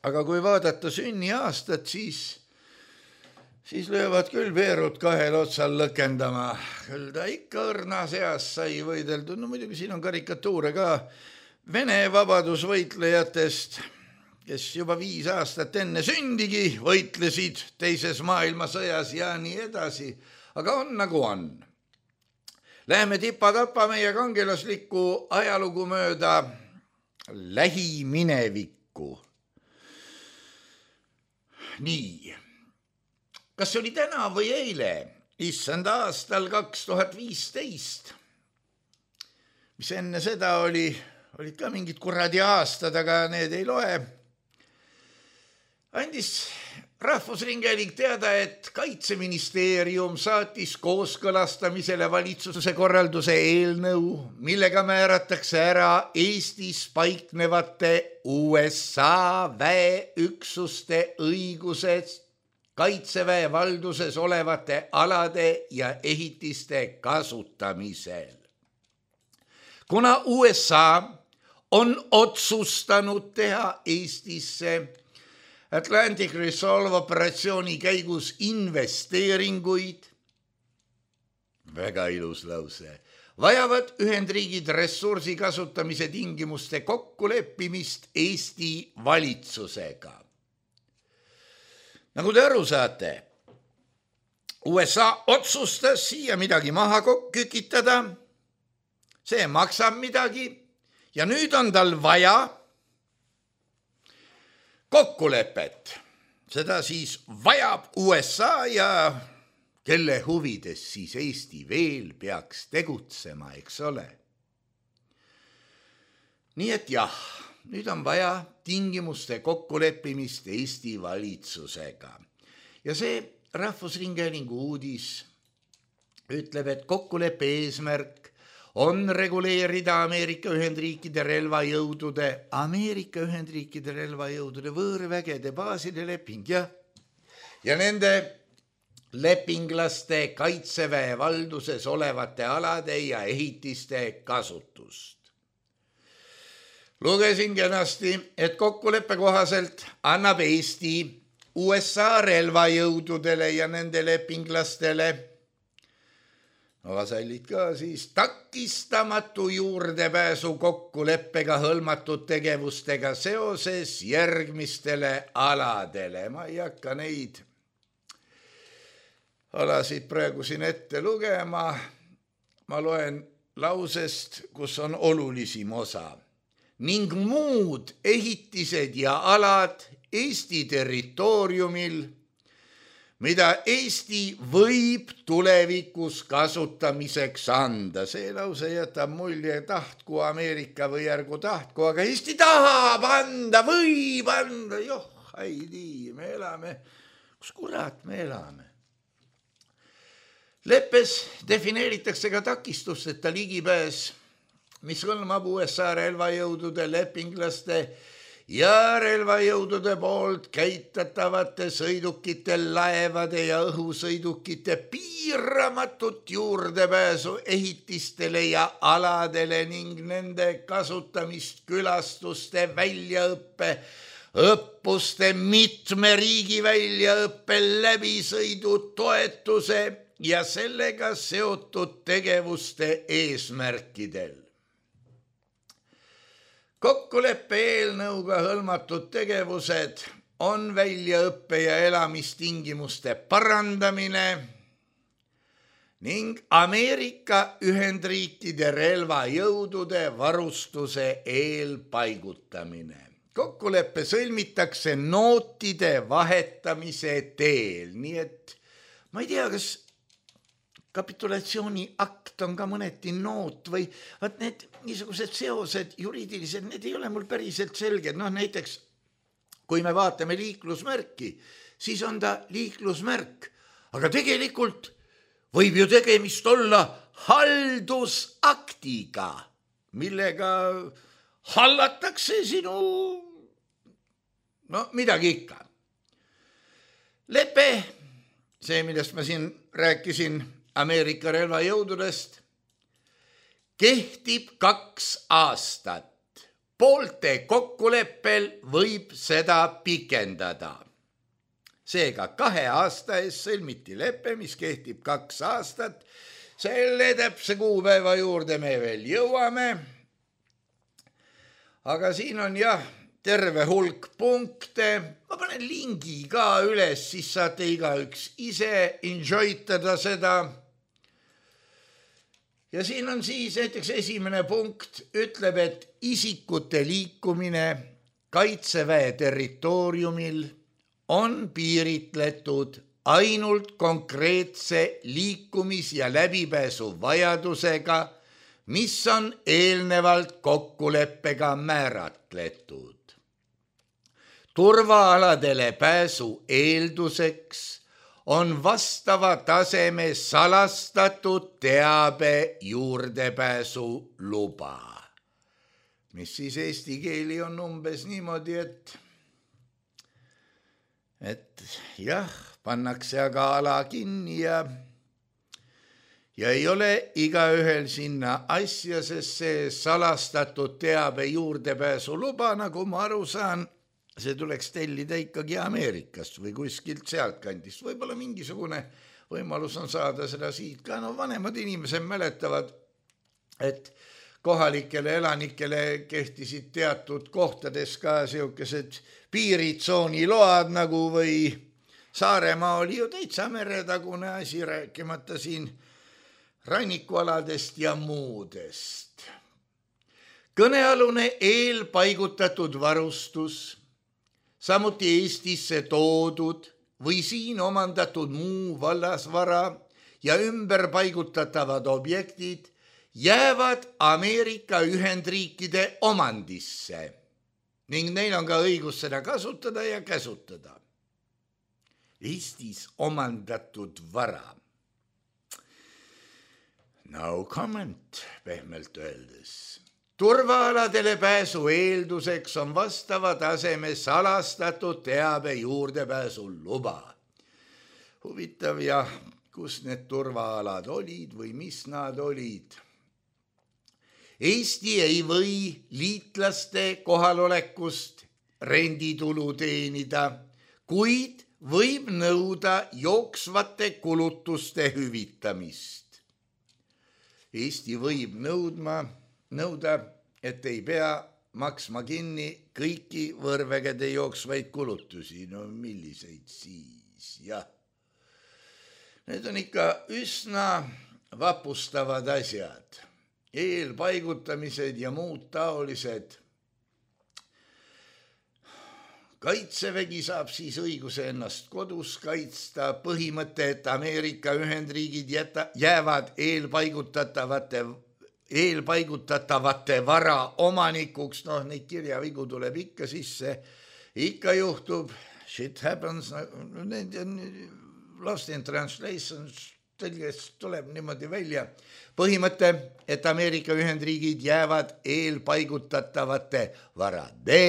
Speaker 3: aga kui vaadata sünniaastat, siis löövad küll veerud kahel otsal lõkendama. Küll ta ikka õrna seas sai võideldud. No muidugi siin on karikatuure ka Vene vabadusvõitlejatest, kes juba 5 aastat enne sündigi võitlesid teises maailmasõjas ja nii edasi. Aga on nagu on. Läheme tipa-tapa meie kangelaslikku ajalugu mööda lähiminevikku. Nii. Kas see oli täna või eile, issand aastal 2015, mis enne seda olid ka mingid kuradi aastad, aga need ei loe, andis Rahvusringhääling teada, et Kaitseministeerium saatis kooskõlastamisele valitsuse korralduse eelnõu, millega määratakse ära Eestis paiknevate USA väeüksuste õigused Kaitseväe valduses olevate alade ja ehitiste kasutamisel. Kuna USA on otsustanud teha Eestisse Atlantic Resolve operatsiooni käigus investeeringuid, väga ilus lause, vajavad Ühendriigid ressursi kasutamise tingimuste kokkuleppimist Eesti valitsusega. Nagu te aru saate, USA otsustas siia midagi maha kükitada, see maksab midagi ja nüüd on tal vaja kokkulepet. Seda siis vajab USA ja kelle huvides siis Eesti veel peaks tegutsema, eks ole. Nii et jah, nüüd on vaja tingimuste kokkuleppimist Eesti valitsusega. Ja see Rahvusringhäälingu uudis ütleb, et kokkuleppe eesmärk on reguleerida Ameerika Ühendriikide relvajõudude võõrvägede baaside leping ja nende lepinglaste Kaitseväe valduses olevate alade ja ehitiste kasutust. Lugesin kenasti, et kokkuleppe kohaselt annab Eesti USA relvajõududele ja nende lepinglastele vasallid ka siis takistamatu juurdepääsu kokkuleppega hõlmatud tegevustega seoses järgmistele aladele. Ma ei hakka neid alasid praegu siin ette lugema. Ma loen lausest, kus on olulisim osa. Ning muud ehitised ja alad Eesti territooriumil, mida Eesti võib tulevikus kasutamiseks anda. See lause jätab mulje tahtku Ameerika või ärgu tahtku, aga Eesti tahab anda, võib anda. Joh, ei nii, me elame. Kus kurat me elame? Leppes defineeritakse ka takistusteta ligipääs, mis hõlmab USA relvajõudude lepinglaste ja relvajõudude poolt käitatavate sõidukite, laevade ja õhusõidukite piiramatut juurdepääsu ehitistele ja aladele ning nende kasutamist külastuste väljaõppe, õppuste mitme riigi väljaõppe läbisõidu toetuse ja sellega seotud tegevuste eesmärkidel. Kokkuleppe eelnõuga hõlmatud tegevused on väljaõppe ja elamistingimuste parandamine ning Ameerika Ühendriikide relvajõudude varustuse eelpaigutamine. Kokkuleppe sõlmitakse nootide vahetamise teel, nii et ma ei tea, kas kapitulatsiooni akt on ka mõneti noot või need niisugused seosed juriidilised, need ei ole mul päriselt selged. Näiteks, kui me vaatame liiklusmärki, siis on ta liiklusmärk, aga tegelikult võib ju tegemist olla haldusaktiga, millega hallatakse sinu, midagi ikka. Lepe, see, millest ma siin rääkisin, Ameerika relvajõududest, kehtib 2 aastat. poolte kokkuleppel võib seda pikendada. Seega 2 aasta eest sõlmiti lepe, mis kehtib 2 aastat. Selle täpse kuupäeva juurde me veel jõuame. Aga siin on terve hulk punkte. Ma panen lingi ka üles, siis saate igaüks ise enjoytada seda. Ja siin on siis näiteks esimene punkt, ütleb, et isikute liikumine Kaitseväe territooriumil on piiritletud ainult konkreetse liikumis- ja läbipääsu vajadusega, mis on eelnevalt kokkuleppega määratletud. Turvaaladele pääsu eelduseks on vastava taseme salastatud teabe juurdepääsu luba. Mis siis eesti keeli on umbes niimoodi, et pannakse aga ala kinni ja ei ole igaühel sinna asja, sest see salastatud teabe juurdepääsu luba, nagu ma aru saan, see tuleks tellida ikkagi Ameerikast või kuskilt sealt kandist. Võib-olla mingisugune võimalus on saada seda siit ka. No vanemad inimesed mäletavad, et kohalikele elanikele kehtisid teatud kohtades ka sellised piiritsooniload nagu või Saaremaa oli ju täitsa meretagune asi, rääkimata siin rannikualadest ja muudest. Kõnealune eelpaigutatud varustus, samuti Eestisse toodud või siin omandatud muu vallasvara ja ümberpaigutatavad objektid jäävad Ameerika Ühendriikide omandisse ning neil on ka õigus seda kasutada ja käsutada. Eestis omandatud vara. No comment, pehmelt öeldes. Turvaaladele pääsu eelduseks on vastava taseme salastatud teabe juurdepääsu luba. Huvitav kus need turvaalad olid või mis nad olid. Eesti ei või liitlaste kohalolekust renditulu teenida, kuid võib nõuda jooksvate kulutuste hüvitamist. Eesti võib nõuda, et ei pea maksma kinni kõiki võõrvägede jooksvaid kulutusi. No milliseid siis, Need on ikka üsna vapustavad asjad. Eelpaigutamised ja muud taolised. Kaitsevägi saab siis õiguse ennast kodus kaitsta. Põhimõte, et Ameerika Ühendriigid jäävad eelpaigutatavate vara omanikuks. Neid kirjavigu tuleb ikka sisse. Ikka juhtub. Shit happens. Lost in translation tõlgest tuleb niimoodi välja. Põhimõte, et Ameerika Ühendriigid jäävad eelpaigutatavate varade,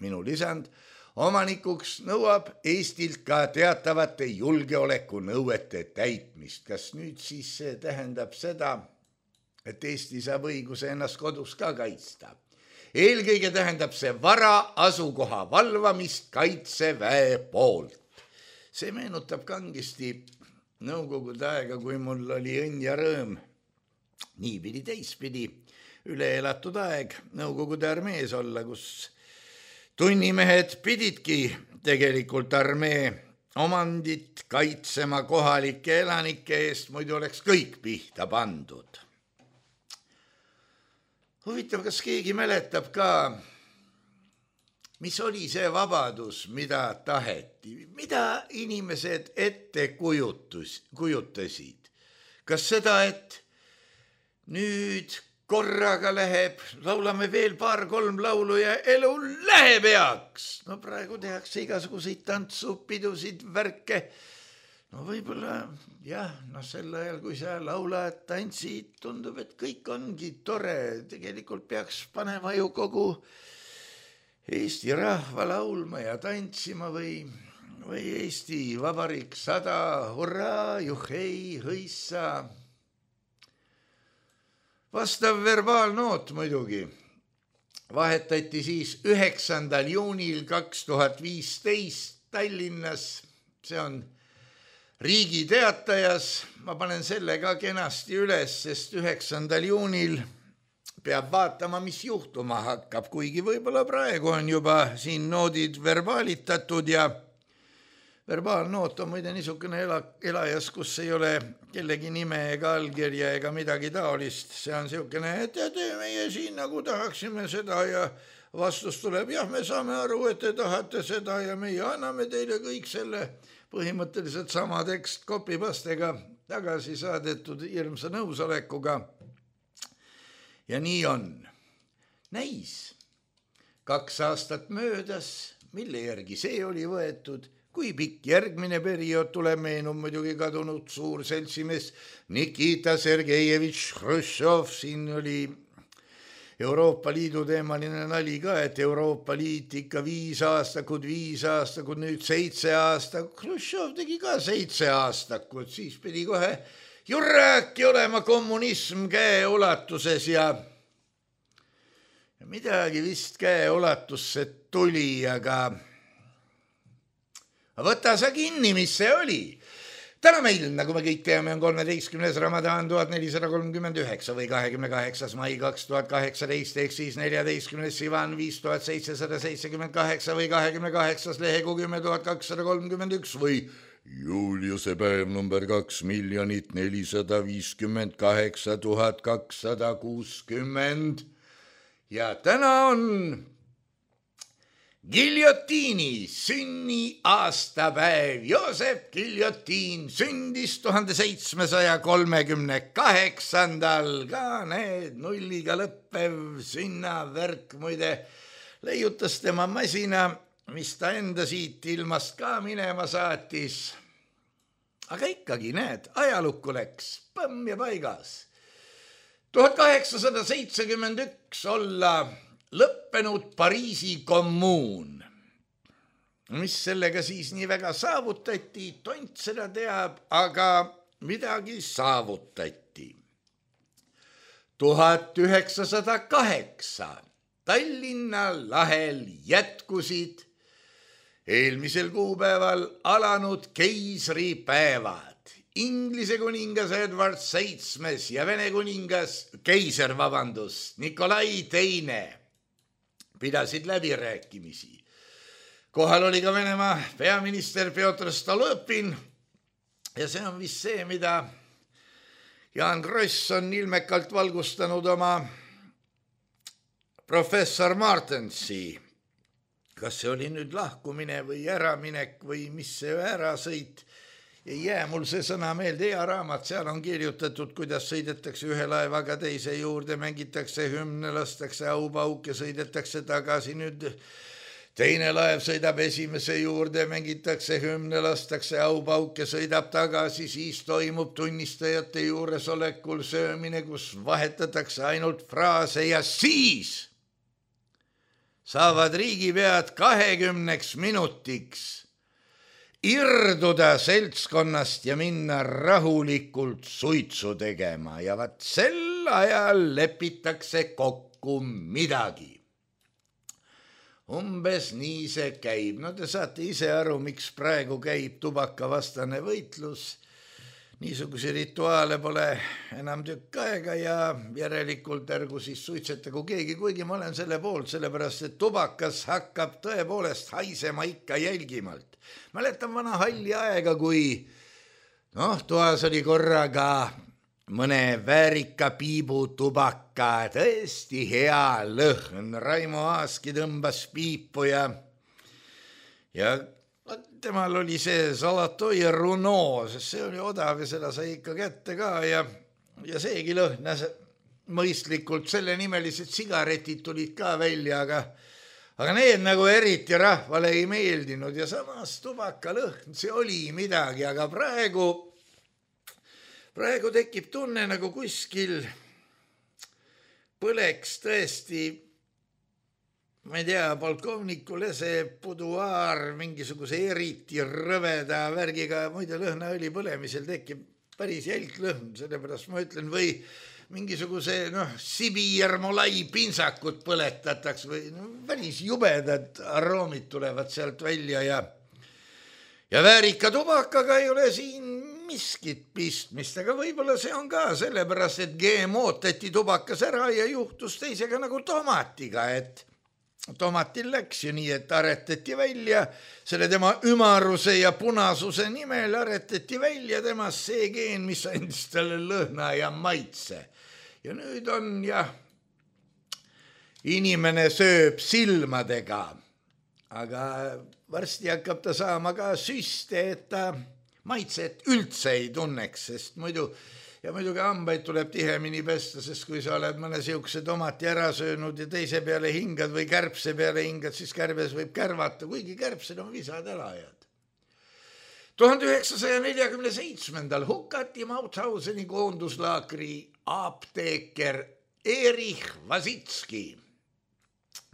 Speaker 3: minu lisand, omanikuks nõuab Eestilt ka teatavate julgeolekunõuete täitmist. Kas nüüd siis see tähendab seda, et Eesti saab õiguse ennast kodus ka kaitsta? Eelkõige tähendab see vara asukoha valvamist Kaitseväe poolt. See meenutab kangesti nõukogude aega, kui mul oli õnn ja rõõm. Niipidi teistpidi üle elatud aeg nõukogude armees olla, kus tunnimehed pididki tegelikult armee omandit kaitsema kohalike elanike eest, muidu oleks kõik pihta pandud. Huvitav, kas keegi mäletab ka, mis oli see vabadus, mida taheti, mida inimesed ette kujutasid? Kas seda, et nüüd korraga läheb, laulame veel 2-3 laulu ja elu läheb heaks? No praegu tehakse igasuguseid tantsupidusid, värke. No võib-olla, sel ajal, kui sa laulad, tantsid, tundub, et kõik ongi tore. Tegelikult peaks panema ju kogu Eesti rahva laulma ja tantsima või Eesti Vabariik 100, hurraa, juhhei, hõissa. Vastav verbaalnoot muidugi. vahetati siis 9. juunil 2015 Tallinnas, see on Riigi Teatajas, ma panen selle ka kenasti üles, sest 9. juunil peab vaatama, mis juhtuma hakkab, kuigi võib-olla praegu on juba siin noodid verbaalitatud ja verbaalnoot on muide niisugune elajas, kus ei ole kellegi nime ega allkirja ega midagi taolist. See on niisugune, et meie siin nagu tahaksime seda ja vastus tuleb, jah, me saame aru, et te tahate seda ja meie anname teile kõik selle põhimõtteliselt sama tekst copy-pastega tagasi saadetud hirmsa nõusolekuga. Ja nii on. Näis, 2 aastat möödas, mille järgi see oli võetud, kui pikk järgmine periood tuleb, meenub muidugi kadunud suur seltsimees Nikita Sergejevitš Hruštšov, siin oli Euroopa Liidu teemaline nali ka, et Euroopa Liit ikka 5 aastakud, nüüd 7 aastakud, Hruštšov tegi ka 7 aastakud, siis pidi kohe jurräki olema kommunism käeulatuses ja midagi vist käeulatusse tuli, aga võta sa kinni, mis see oli. Täna meil, nagu me kõik teame, on 13. Ramadan 1439 või 28. mai 2018 ehk siis 14. Sivan 5778 või 28. lehegu 10231 või Juliuse päev number 2 458 260 ja täna on Giljotiini sünniaastapäev. Joosep Giljotiin sündis 1738. Ka need nulliga lõppev sünnavärk muide leiutas tema masina, mis ta enda siit ilmast ka minema saatis. Aga ikkagi, näed, ajalukku läks, põmm ja paigas. 1871 olla lõppenud Pariisi kommuun. Mis sellega siis nii väga saavutati, tont seda teab, aga midagi saavutati. 1908 Tallinna lahel jätkusid eelmisel kuupäeval alanud keisripäevad. Inglise kuningas Edward VII ja Vene kuningas, keiser, Nikolai II pidasid läbirääkimisi. Kohal oli ka Venemaa peaminister Pjotr Stolõpin ja see on vist see, mida Jaan Kross on ilmekalt valgustanud oma professor Martensi. Kas see oli nüüd lahkumine või äraminek või mis see ärasõit? Ei jää mul see sõna meelde, hea raamat, seal on kirjutatud, kuidas sõidetakse ühe laevaga teise juurde, mängitakse hümne, lastakse aupauke, sõidetakse tagasi. Nüüd teine laev sõidab esimese juurde, mängitakse hümne, lastakse aupauke, sõidab tagasi, siis toimub tunnistajate juuresolekul söömine, kus vahetatakse ainult fraase ja siis saavad riigipead 20 minutiks irduda seltskonnast ja minna rahulikult suitsu tegema ja vaat sel ajal lepitakse kokku midagi. Umbes nii see käib. No te saate ise aru, miks praegu käib tubakavastane võitlus. Niisuguse rituaale pole enam tükk aega ja järelikult ärgu siis suitsetagu keegi, kuigi ma olen selle poolt, sellepärast et tubakas hakkab tõepoolest haisema ikka jälgimalt. Mäletan vana halli aega, kui toas oli korraga mõne väärika piibu tubaka, tõesti hea lõhn. Raimo Aaski tõmbas piipu ja temal oli see Zolotoi Runo, sest see oli odav ja seda sai ikka kätte ka ja seegi lõhnas mõistlikult. Selle nimelised sigaretid tulid ka välja, aga need nagu eriti rahvale ei meeldinud ja samas tubakalõhn, see oli midagi, aga praegu tekib tunne nagu kuskil põleks tõesti, ma ei tea, polkovniku lese buduaar mingisuguse eriti rõveda värgiga, muide lõhnaõli põlemisel tekib päris jälglõhn, sellepärast ma ütlen, mingisuguse Sibiermolai pinsakut põletataks või päris jubedad aroomid tulevad sealt välja ja väärika tubakaga ei ole siin miskit pistmist, aga võib-olla see on ka sellepärast, et GMO-tati tubakas ära ja juhtus teisega nagu tomatiga, et tomatil läks ju nii, et aretati välja selle tema ümaruse ja punasuse nimel aretati välja temast see geen, mis andis talle lõhna ja maitse. Ja nüüd on inimene sööb silmadega, aga varsti hakkab ta saama ka süste, et ta maitset üldse ei tunneks, sest muidugi hambaid tuleb tihemini pesta, sest kui sa oled mõne siukse tomati ära söönud ja teise peale hingad või kärbse peale hingad, siis kärbes võib kärvata, kuigi kärbsed on visad elajad. 1947. hukati Mauthauseni koonduslaagri apteeker Erich Vasitski.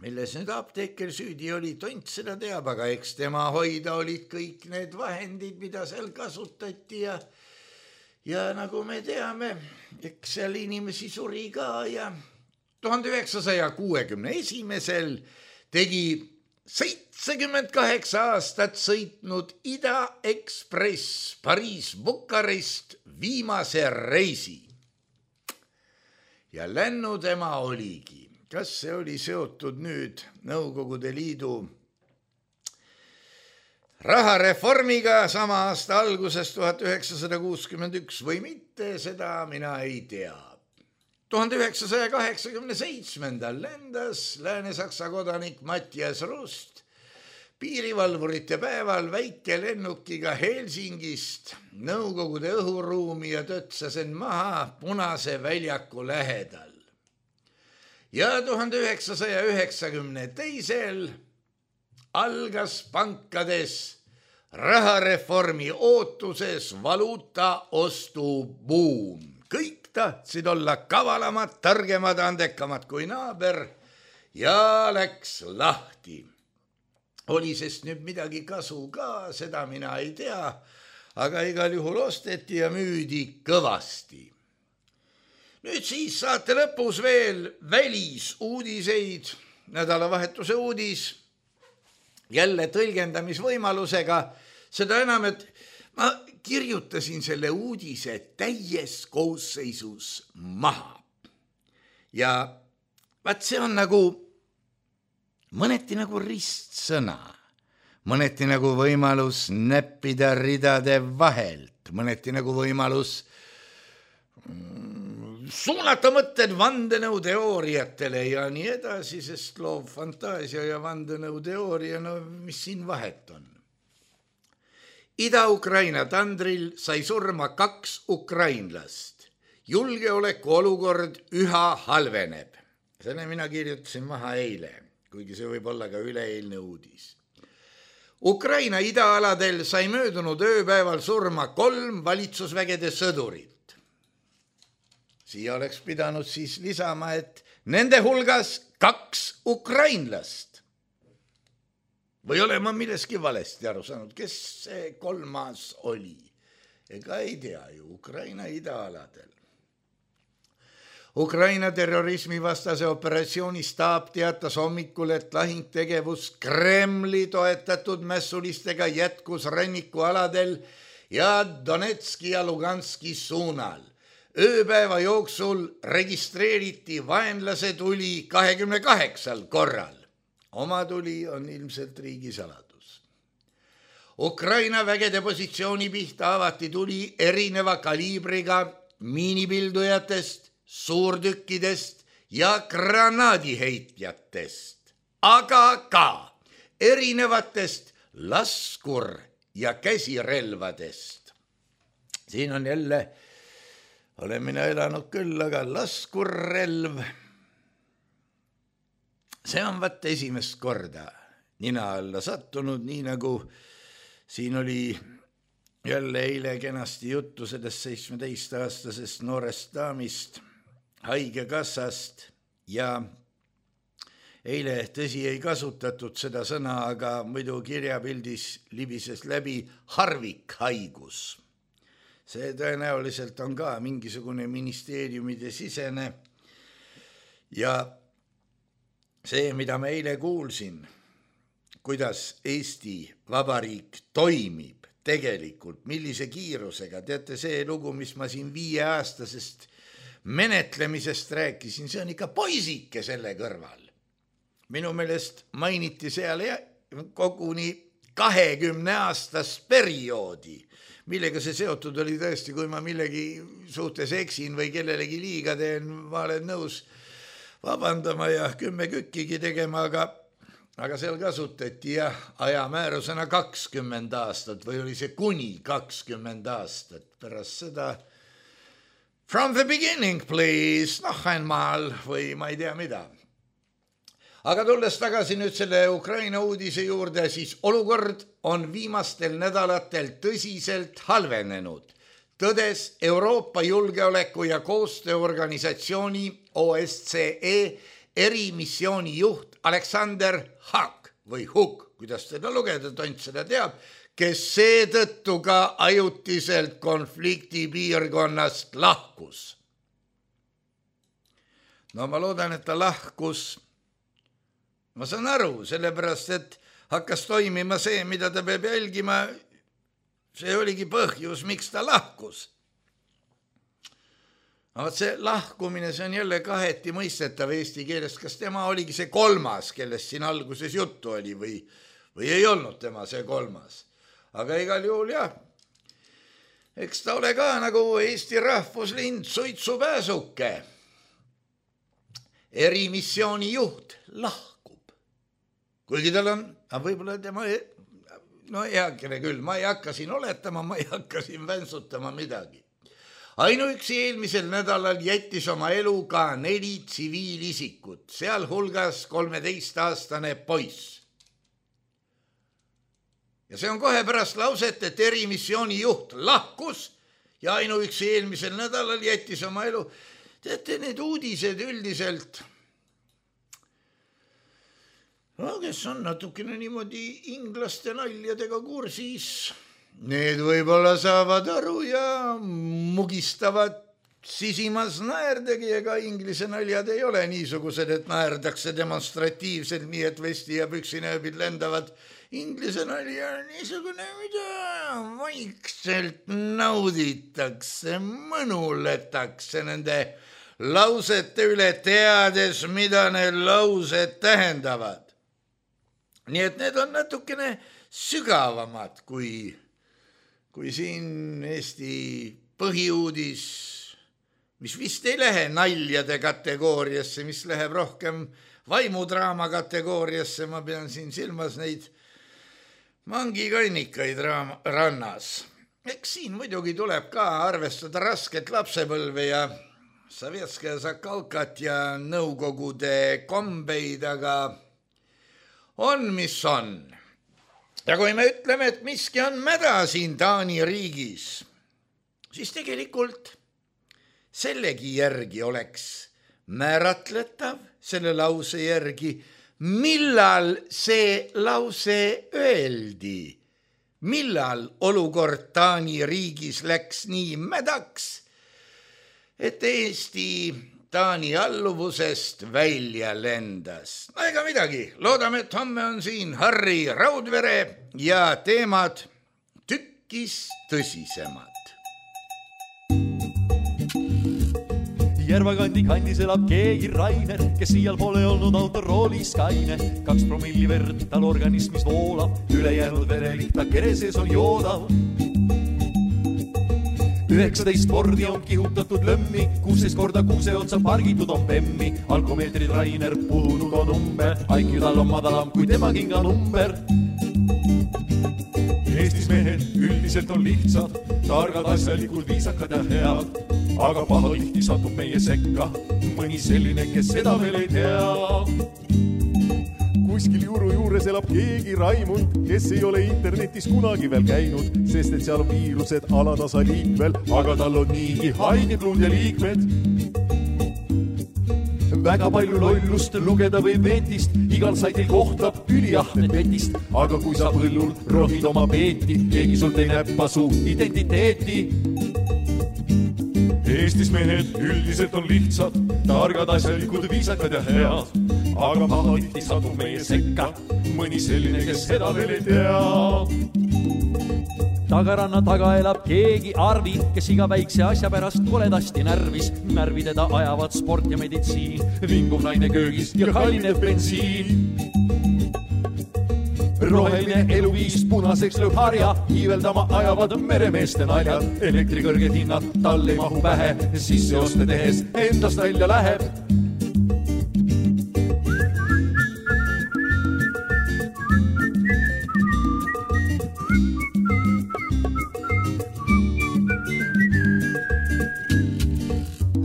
Speaker 3: Milles nüüd apteeker süüdi oli, tont seda teab, aga eks tema hoida olid kõik need vahendid, mida seal kasutati ja nagu me teame, eks seal inimesi suri ka ja 1961. tegi 78 aastat sõitnud Ida Ekspress Pariis-Bukarest viimase reisi. Ja lännu tema oligi. Kas see oli seotud nüüd Nõukogude Liidu rahareformiga sama aasta alguses 1961 või mitte, seda mina ei tea. 1987. lendas Lääne-Saksa kodanik Mattias Rust piirivalvurite päeval väikelennukiga Helsingist Nõukogude õhuruumi ja tõtsas end maha Punase väljaku lähedal. Ja 1992. algas pankades rahareformi ootuses valuuta ostubuum. Kõik tahtsid olla kavalamad, targemad, andekamad kui naaber ja läks lahti. Oli sest nüüd midagi kasu ka, seda mina ei tea, aga igal juhul osteti ja müüdi kõvasti. Nüüd siis saate lõpus veel välisuudiseid, nädalavahetuse uudis, jälle tõlgendamisvõimalusega, seda enam, et ma kirjutasin selle uudise täies koosseisus maha. Ja vaat see on nagu, mõneti nagu ristsõna, mõneti nagu võimalus näppida ridade vahelt, mõneti nagu võimalus suunata mõtted vandenõuteooriatele ja nii edasi, sest loov fantaasia ja vandenõuteooria, mis siin vahet on. Ida-Ukraina tandril sai surma 2 ukrainlast. Julgeoleku olukord üha halveneb. Selle mina kirjutasin maha eile, kuigi see võib olla ka üleeilne uudis. Ukraina idaaladel sai möödunud ööpäeval surma 3 valitsusvägede sõdurit. Siia oleks pidanud siis lisama, et nende hulgas 2 ukrainlast. Või olen ma milleski valesti aru saanud, kes see 3. oli? Ega ei tea ju, Ukraina idaaladel. Ukraina terrorismivastase operatsiooni staap teatas hommikul, et lahingtegevus Kremli toetatud mässulistega jätkus rannikualadel ja Donetski ja Luganski suunal. Ööpäeva jooksul registreeriti vaenlase tuli 28 korral. Oma tuli on ilmselt riigisaladus. Ukraina vägede positsiooni pihta avati tuli erineva kaliibriga miinipildujatest, suurtükkidest ja granaadiheitjatest, aga ka erinevatest laskur- ja käsirelvadest. Siin on jälle, olen mina elanud küll, aga laskurrelv, see on vaat esimest korda nina alla sattunud, nii nagu siin oli jälle eile kenasti juttu sellest 17-aastasest noorest daamist, haigekassast ja eile tõsi ei kasutatud seda sõna, aga muidu kirjapildis libises läbi harvikhaigus. see tõenäoliselt on ka mingisugune ministeeriumide sisene ja see, mida ma eile kuulsin, kuidas Eesti Vabariik toimib tegelikult, millise kiirusega, teate see lugu, mis ma siin 5-aastasest menetlemisest rääkisin, see on ikka poisike selle kõrval. Minu meelest mainiti seal koguni 20-aastast perioodi, millega see seotud oli tõesti, kui ma millegi suhtes eksin või kellelegi liiga teen, ma olen nõus vabandama ja 10 kükkigi tegema, aga seal kasutati ajamäärusena 20 aastat või oli see kuni 20 aastat pärast seda from the beginning, please, einmal või ma ei tea mida. Aga tulles tagasi nüüd selle Ukraina uudise juurde, siis olukord on viimastel nädalatel tõsiselt halvenenud, tõdes Euroopa julgeoleku ja koostööorganisatsiooni OSCE erimissiooni juht Alexander Huk või Huk, kuidas teda lugeda, tont seda teab, kes seetõttu ka ajutiselt konflikti piirkonnast lahkus. No ma loodan, et ta lahkus. Ma saan aru, sellepärast, et hakkas toimima see, mida ta peab jälgima, see oligi põhjus, miks ta lahkus. Aga see lahkumine, see on jälle kaheti mõistetav eesti keeles, kas tema oligi see 3., kellest siin alguses juttu oli või ei olnud tema see 3. Aga igal juhul jah, eks ta ole ka nagu Eesti rahvuslind suitsupääsuke. Erimissiooni juht lahkus. Kuigi tal on, võib-olla tema, no heakene küll, ma ei hakka siin oletama, ma ei hakka siin vänsutama midagi. Ainuüksi eelmisel nädalal jättis oma elu ka 4 tsiviilisikut, sealhulgas 13-aastane poiss. Ja see on kohe pärast lauset, et erimissiooni juht lahkus ja ainuüksi eelmisel nädalal jättis oma elu. Teate, need uudised üldiselt... No, kes on natukene niimoodi inglaste naljadega kursis, need võib-olla saavad aru ja mugistavad sisimas naerdagi, ega inglise naljad ei ole niisugused, et naerdakse demonstratiivselt, nii et vesti ja püksinööbid lendavad. Inglise nalja on niisugune, mida vaikselt nauditakse, mõnuletakse nende lausete üle, teades, mida need laused tähendavad. Nii et need on natukene sügavamad kui siin Eesti põhiuudis, mis vist ei lähe naljade kategooriasse, mis läheb rohkem vaimudraama kategooriasse, ma pean siin silmas neid mangikannikaid rannas. Eks siin muidugi tuleb ka arvestada rasket lapsepõlve ja Sovetskaja Zakalkat ja nõukogude kombeid, aga on, mis on. Ja kui me ütleme, et miski on mäda siin Taani riigis, siis tegelikult sellegi järgi oleks määratletav, selle lause järgi, millal see lause öeldi, millal olukord Taani riigis läks nii mädaks, et Eesti Taani alluvusest välja lendas. No ega midagi, loodame, et homme on siin Harri Raudvere ja teemad tükkis tõsisemad.
Speaker 4: Järvakandi kandis elab keegi Rainer, kes siial pole olnud autoroolis kaine. 2 promilli verd tal organismis voolab, ülejäänud verelik ta kere sees on joodav. 19 kordi on kihutatud lömmi, 16 korda kuuse otsa pargitud on pemmi. Alkomeetrid Rainer puhunud on umber, IQ tal on madalam kui tema kinga number. Eestis mehed üldiselt on lihtsad, targad, asjalikud, viisakad ja head. Aga pahatihti satub meie sekka mõni selline, kes seda veel ei tea. Kuskil Juru juures elab keegi Raimund, kes ei ole internetis kunagi veel käinud, sest et seal on viirused alatasa liikvel, aga tal on niigi haiged luud ja liikmed. Väga palju lollust lugeda või vetist, igal saitil kohtab üliahnet vetist, aga kui sa põllul rohid oma peeti, keegi sult ei näppa su identiteeti. Eestis mehed üldiselt on lihtsad, targad, asjalikud, viisakad ja head. Aga pahatihti satub meie sekka mõni selline, kes seda veel ei tea.
Speaker 5: Tagaranna taga elab keegi Arvi, kes iga väikse asja pärast koledasti närvis. Närvideda ajavad sport ja meditsiin, vinguv naine köögis ja kallinev bensiin. Roheline eluviis punaseks lööb harja, hiiveldama ajavad meremeeste naljad. Elektri kõrged hinnad tal ei mahu pähe, sisse oste tehes endast välja läheb.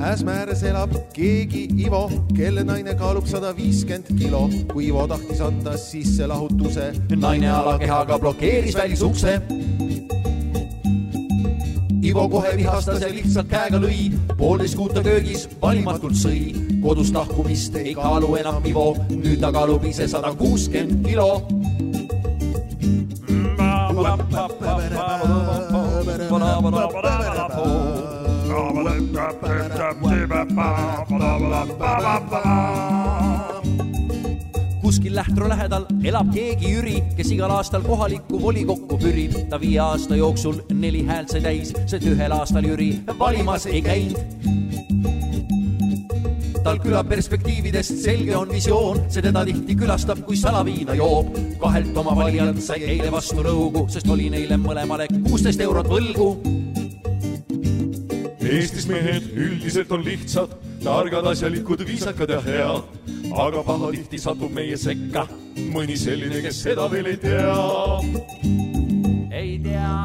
Speaker 6: Äsmääres elab keegi Ivo, kelle naine kaalub 150 kilo. Kui Ivo tahtis anda sisse lahutuse,
Speaker 5: naine alakehaga blokeeris välisukse.
Speaker 6: Ivo kohe vihastas ja lihtsalt käega lõi, 1,5 kuuta köögis valimatult sõi. Kodust lahkumist ei kaalu enam Ivo, nüüd ta kaalub ise 160 kilo.
Speaker 5: Kuskil Lähtro lähedal elab keegi Jüri, kes igal aastal kohalikku volikokku pürib. Ta 5 aasta jooksul 4 häält sai täis, sest 1 aastal Jüri valimas ei käinud. Tal küla perspektiividest selge on visioon, see teda tihti külastab, kui salaviina joob. 2 oma valijalt sai eile vastu rõugu, sest oli neile mõlemale 16 eurot võlgu.
Speaker 4: Eestis mehed üldiselt on lihtsad, targad, asjalikud, viisakad ja head. Aga pahatihti satub meie sekka mõni selline, kes seda veel ei tea.
Speaker 5: Ei tea.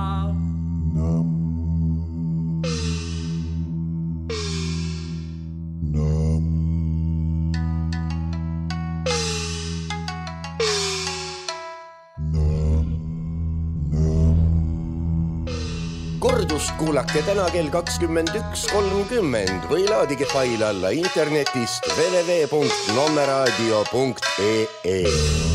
Speaker 2: Kordust kuulake täna kell 21.30 või laadige fail alla internetist www.nommeradio.ee.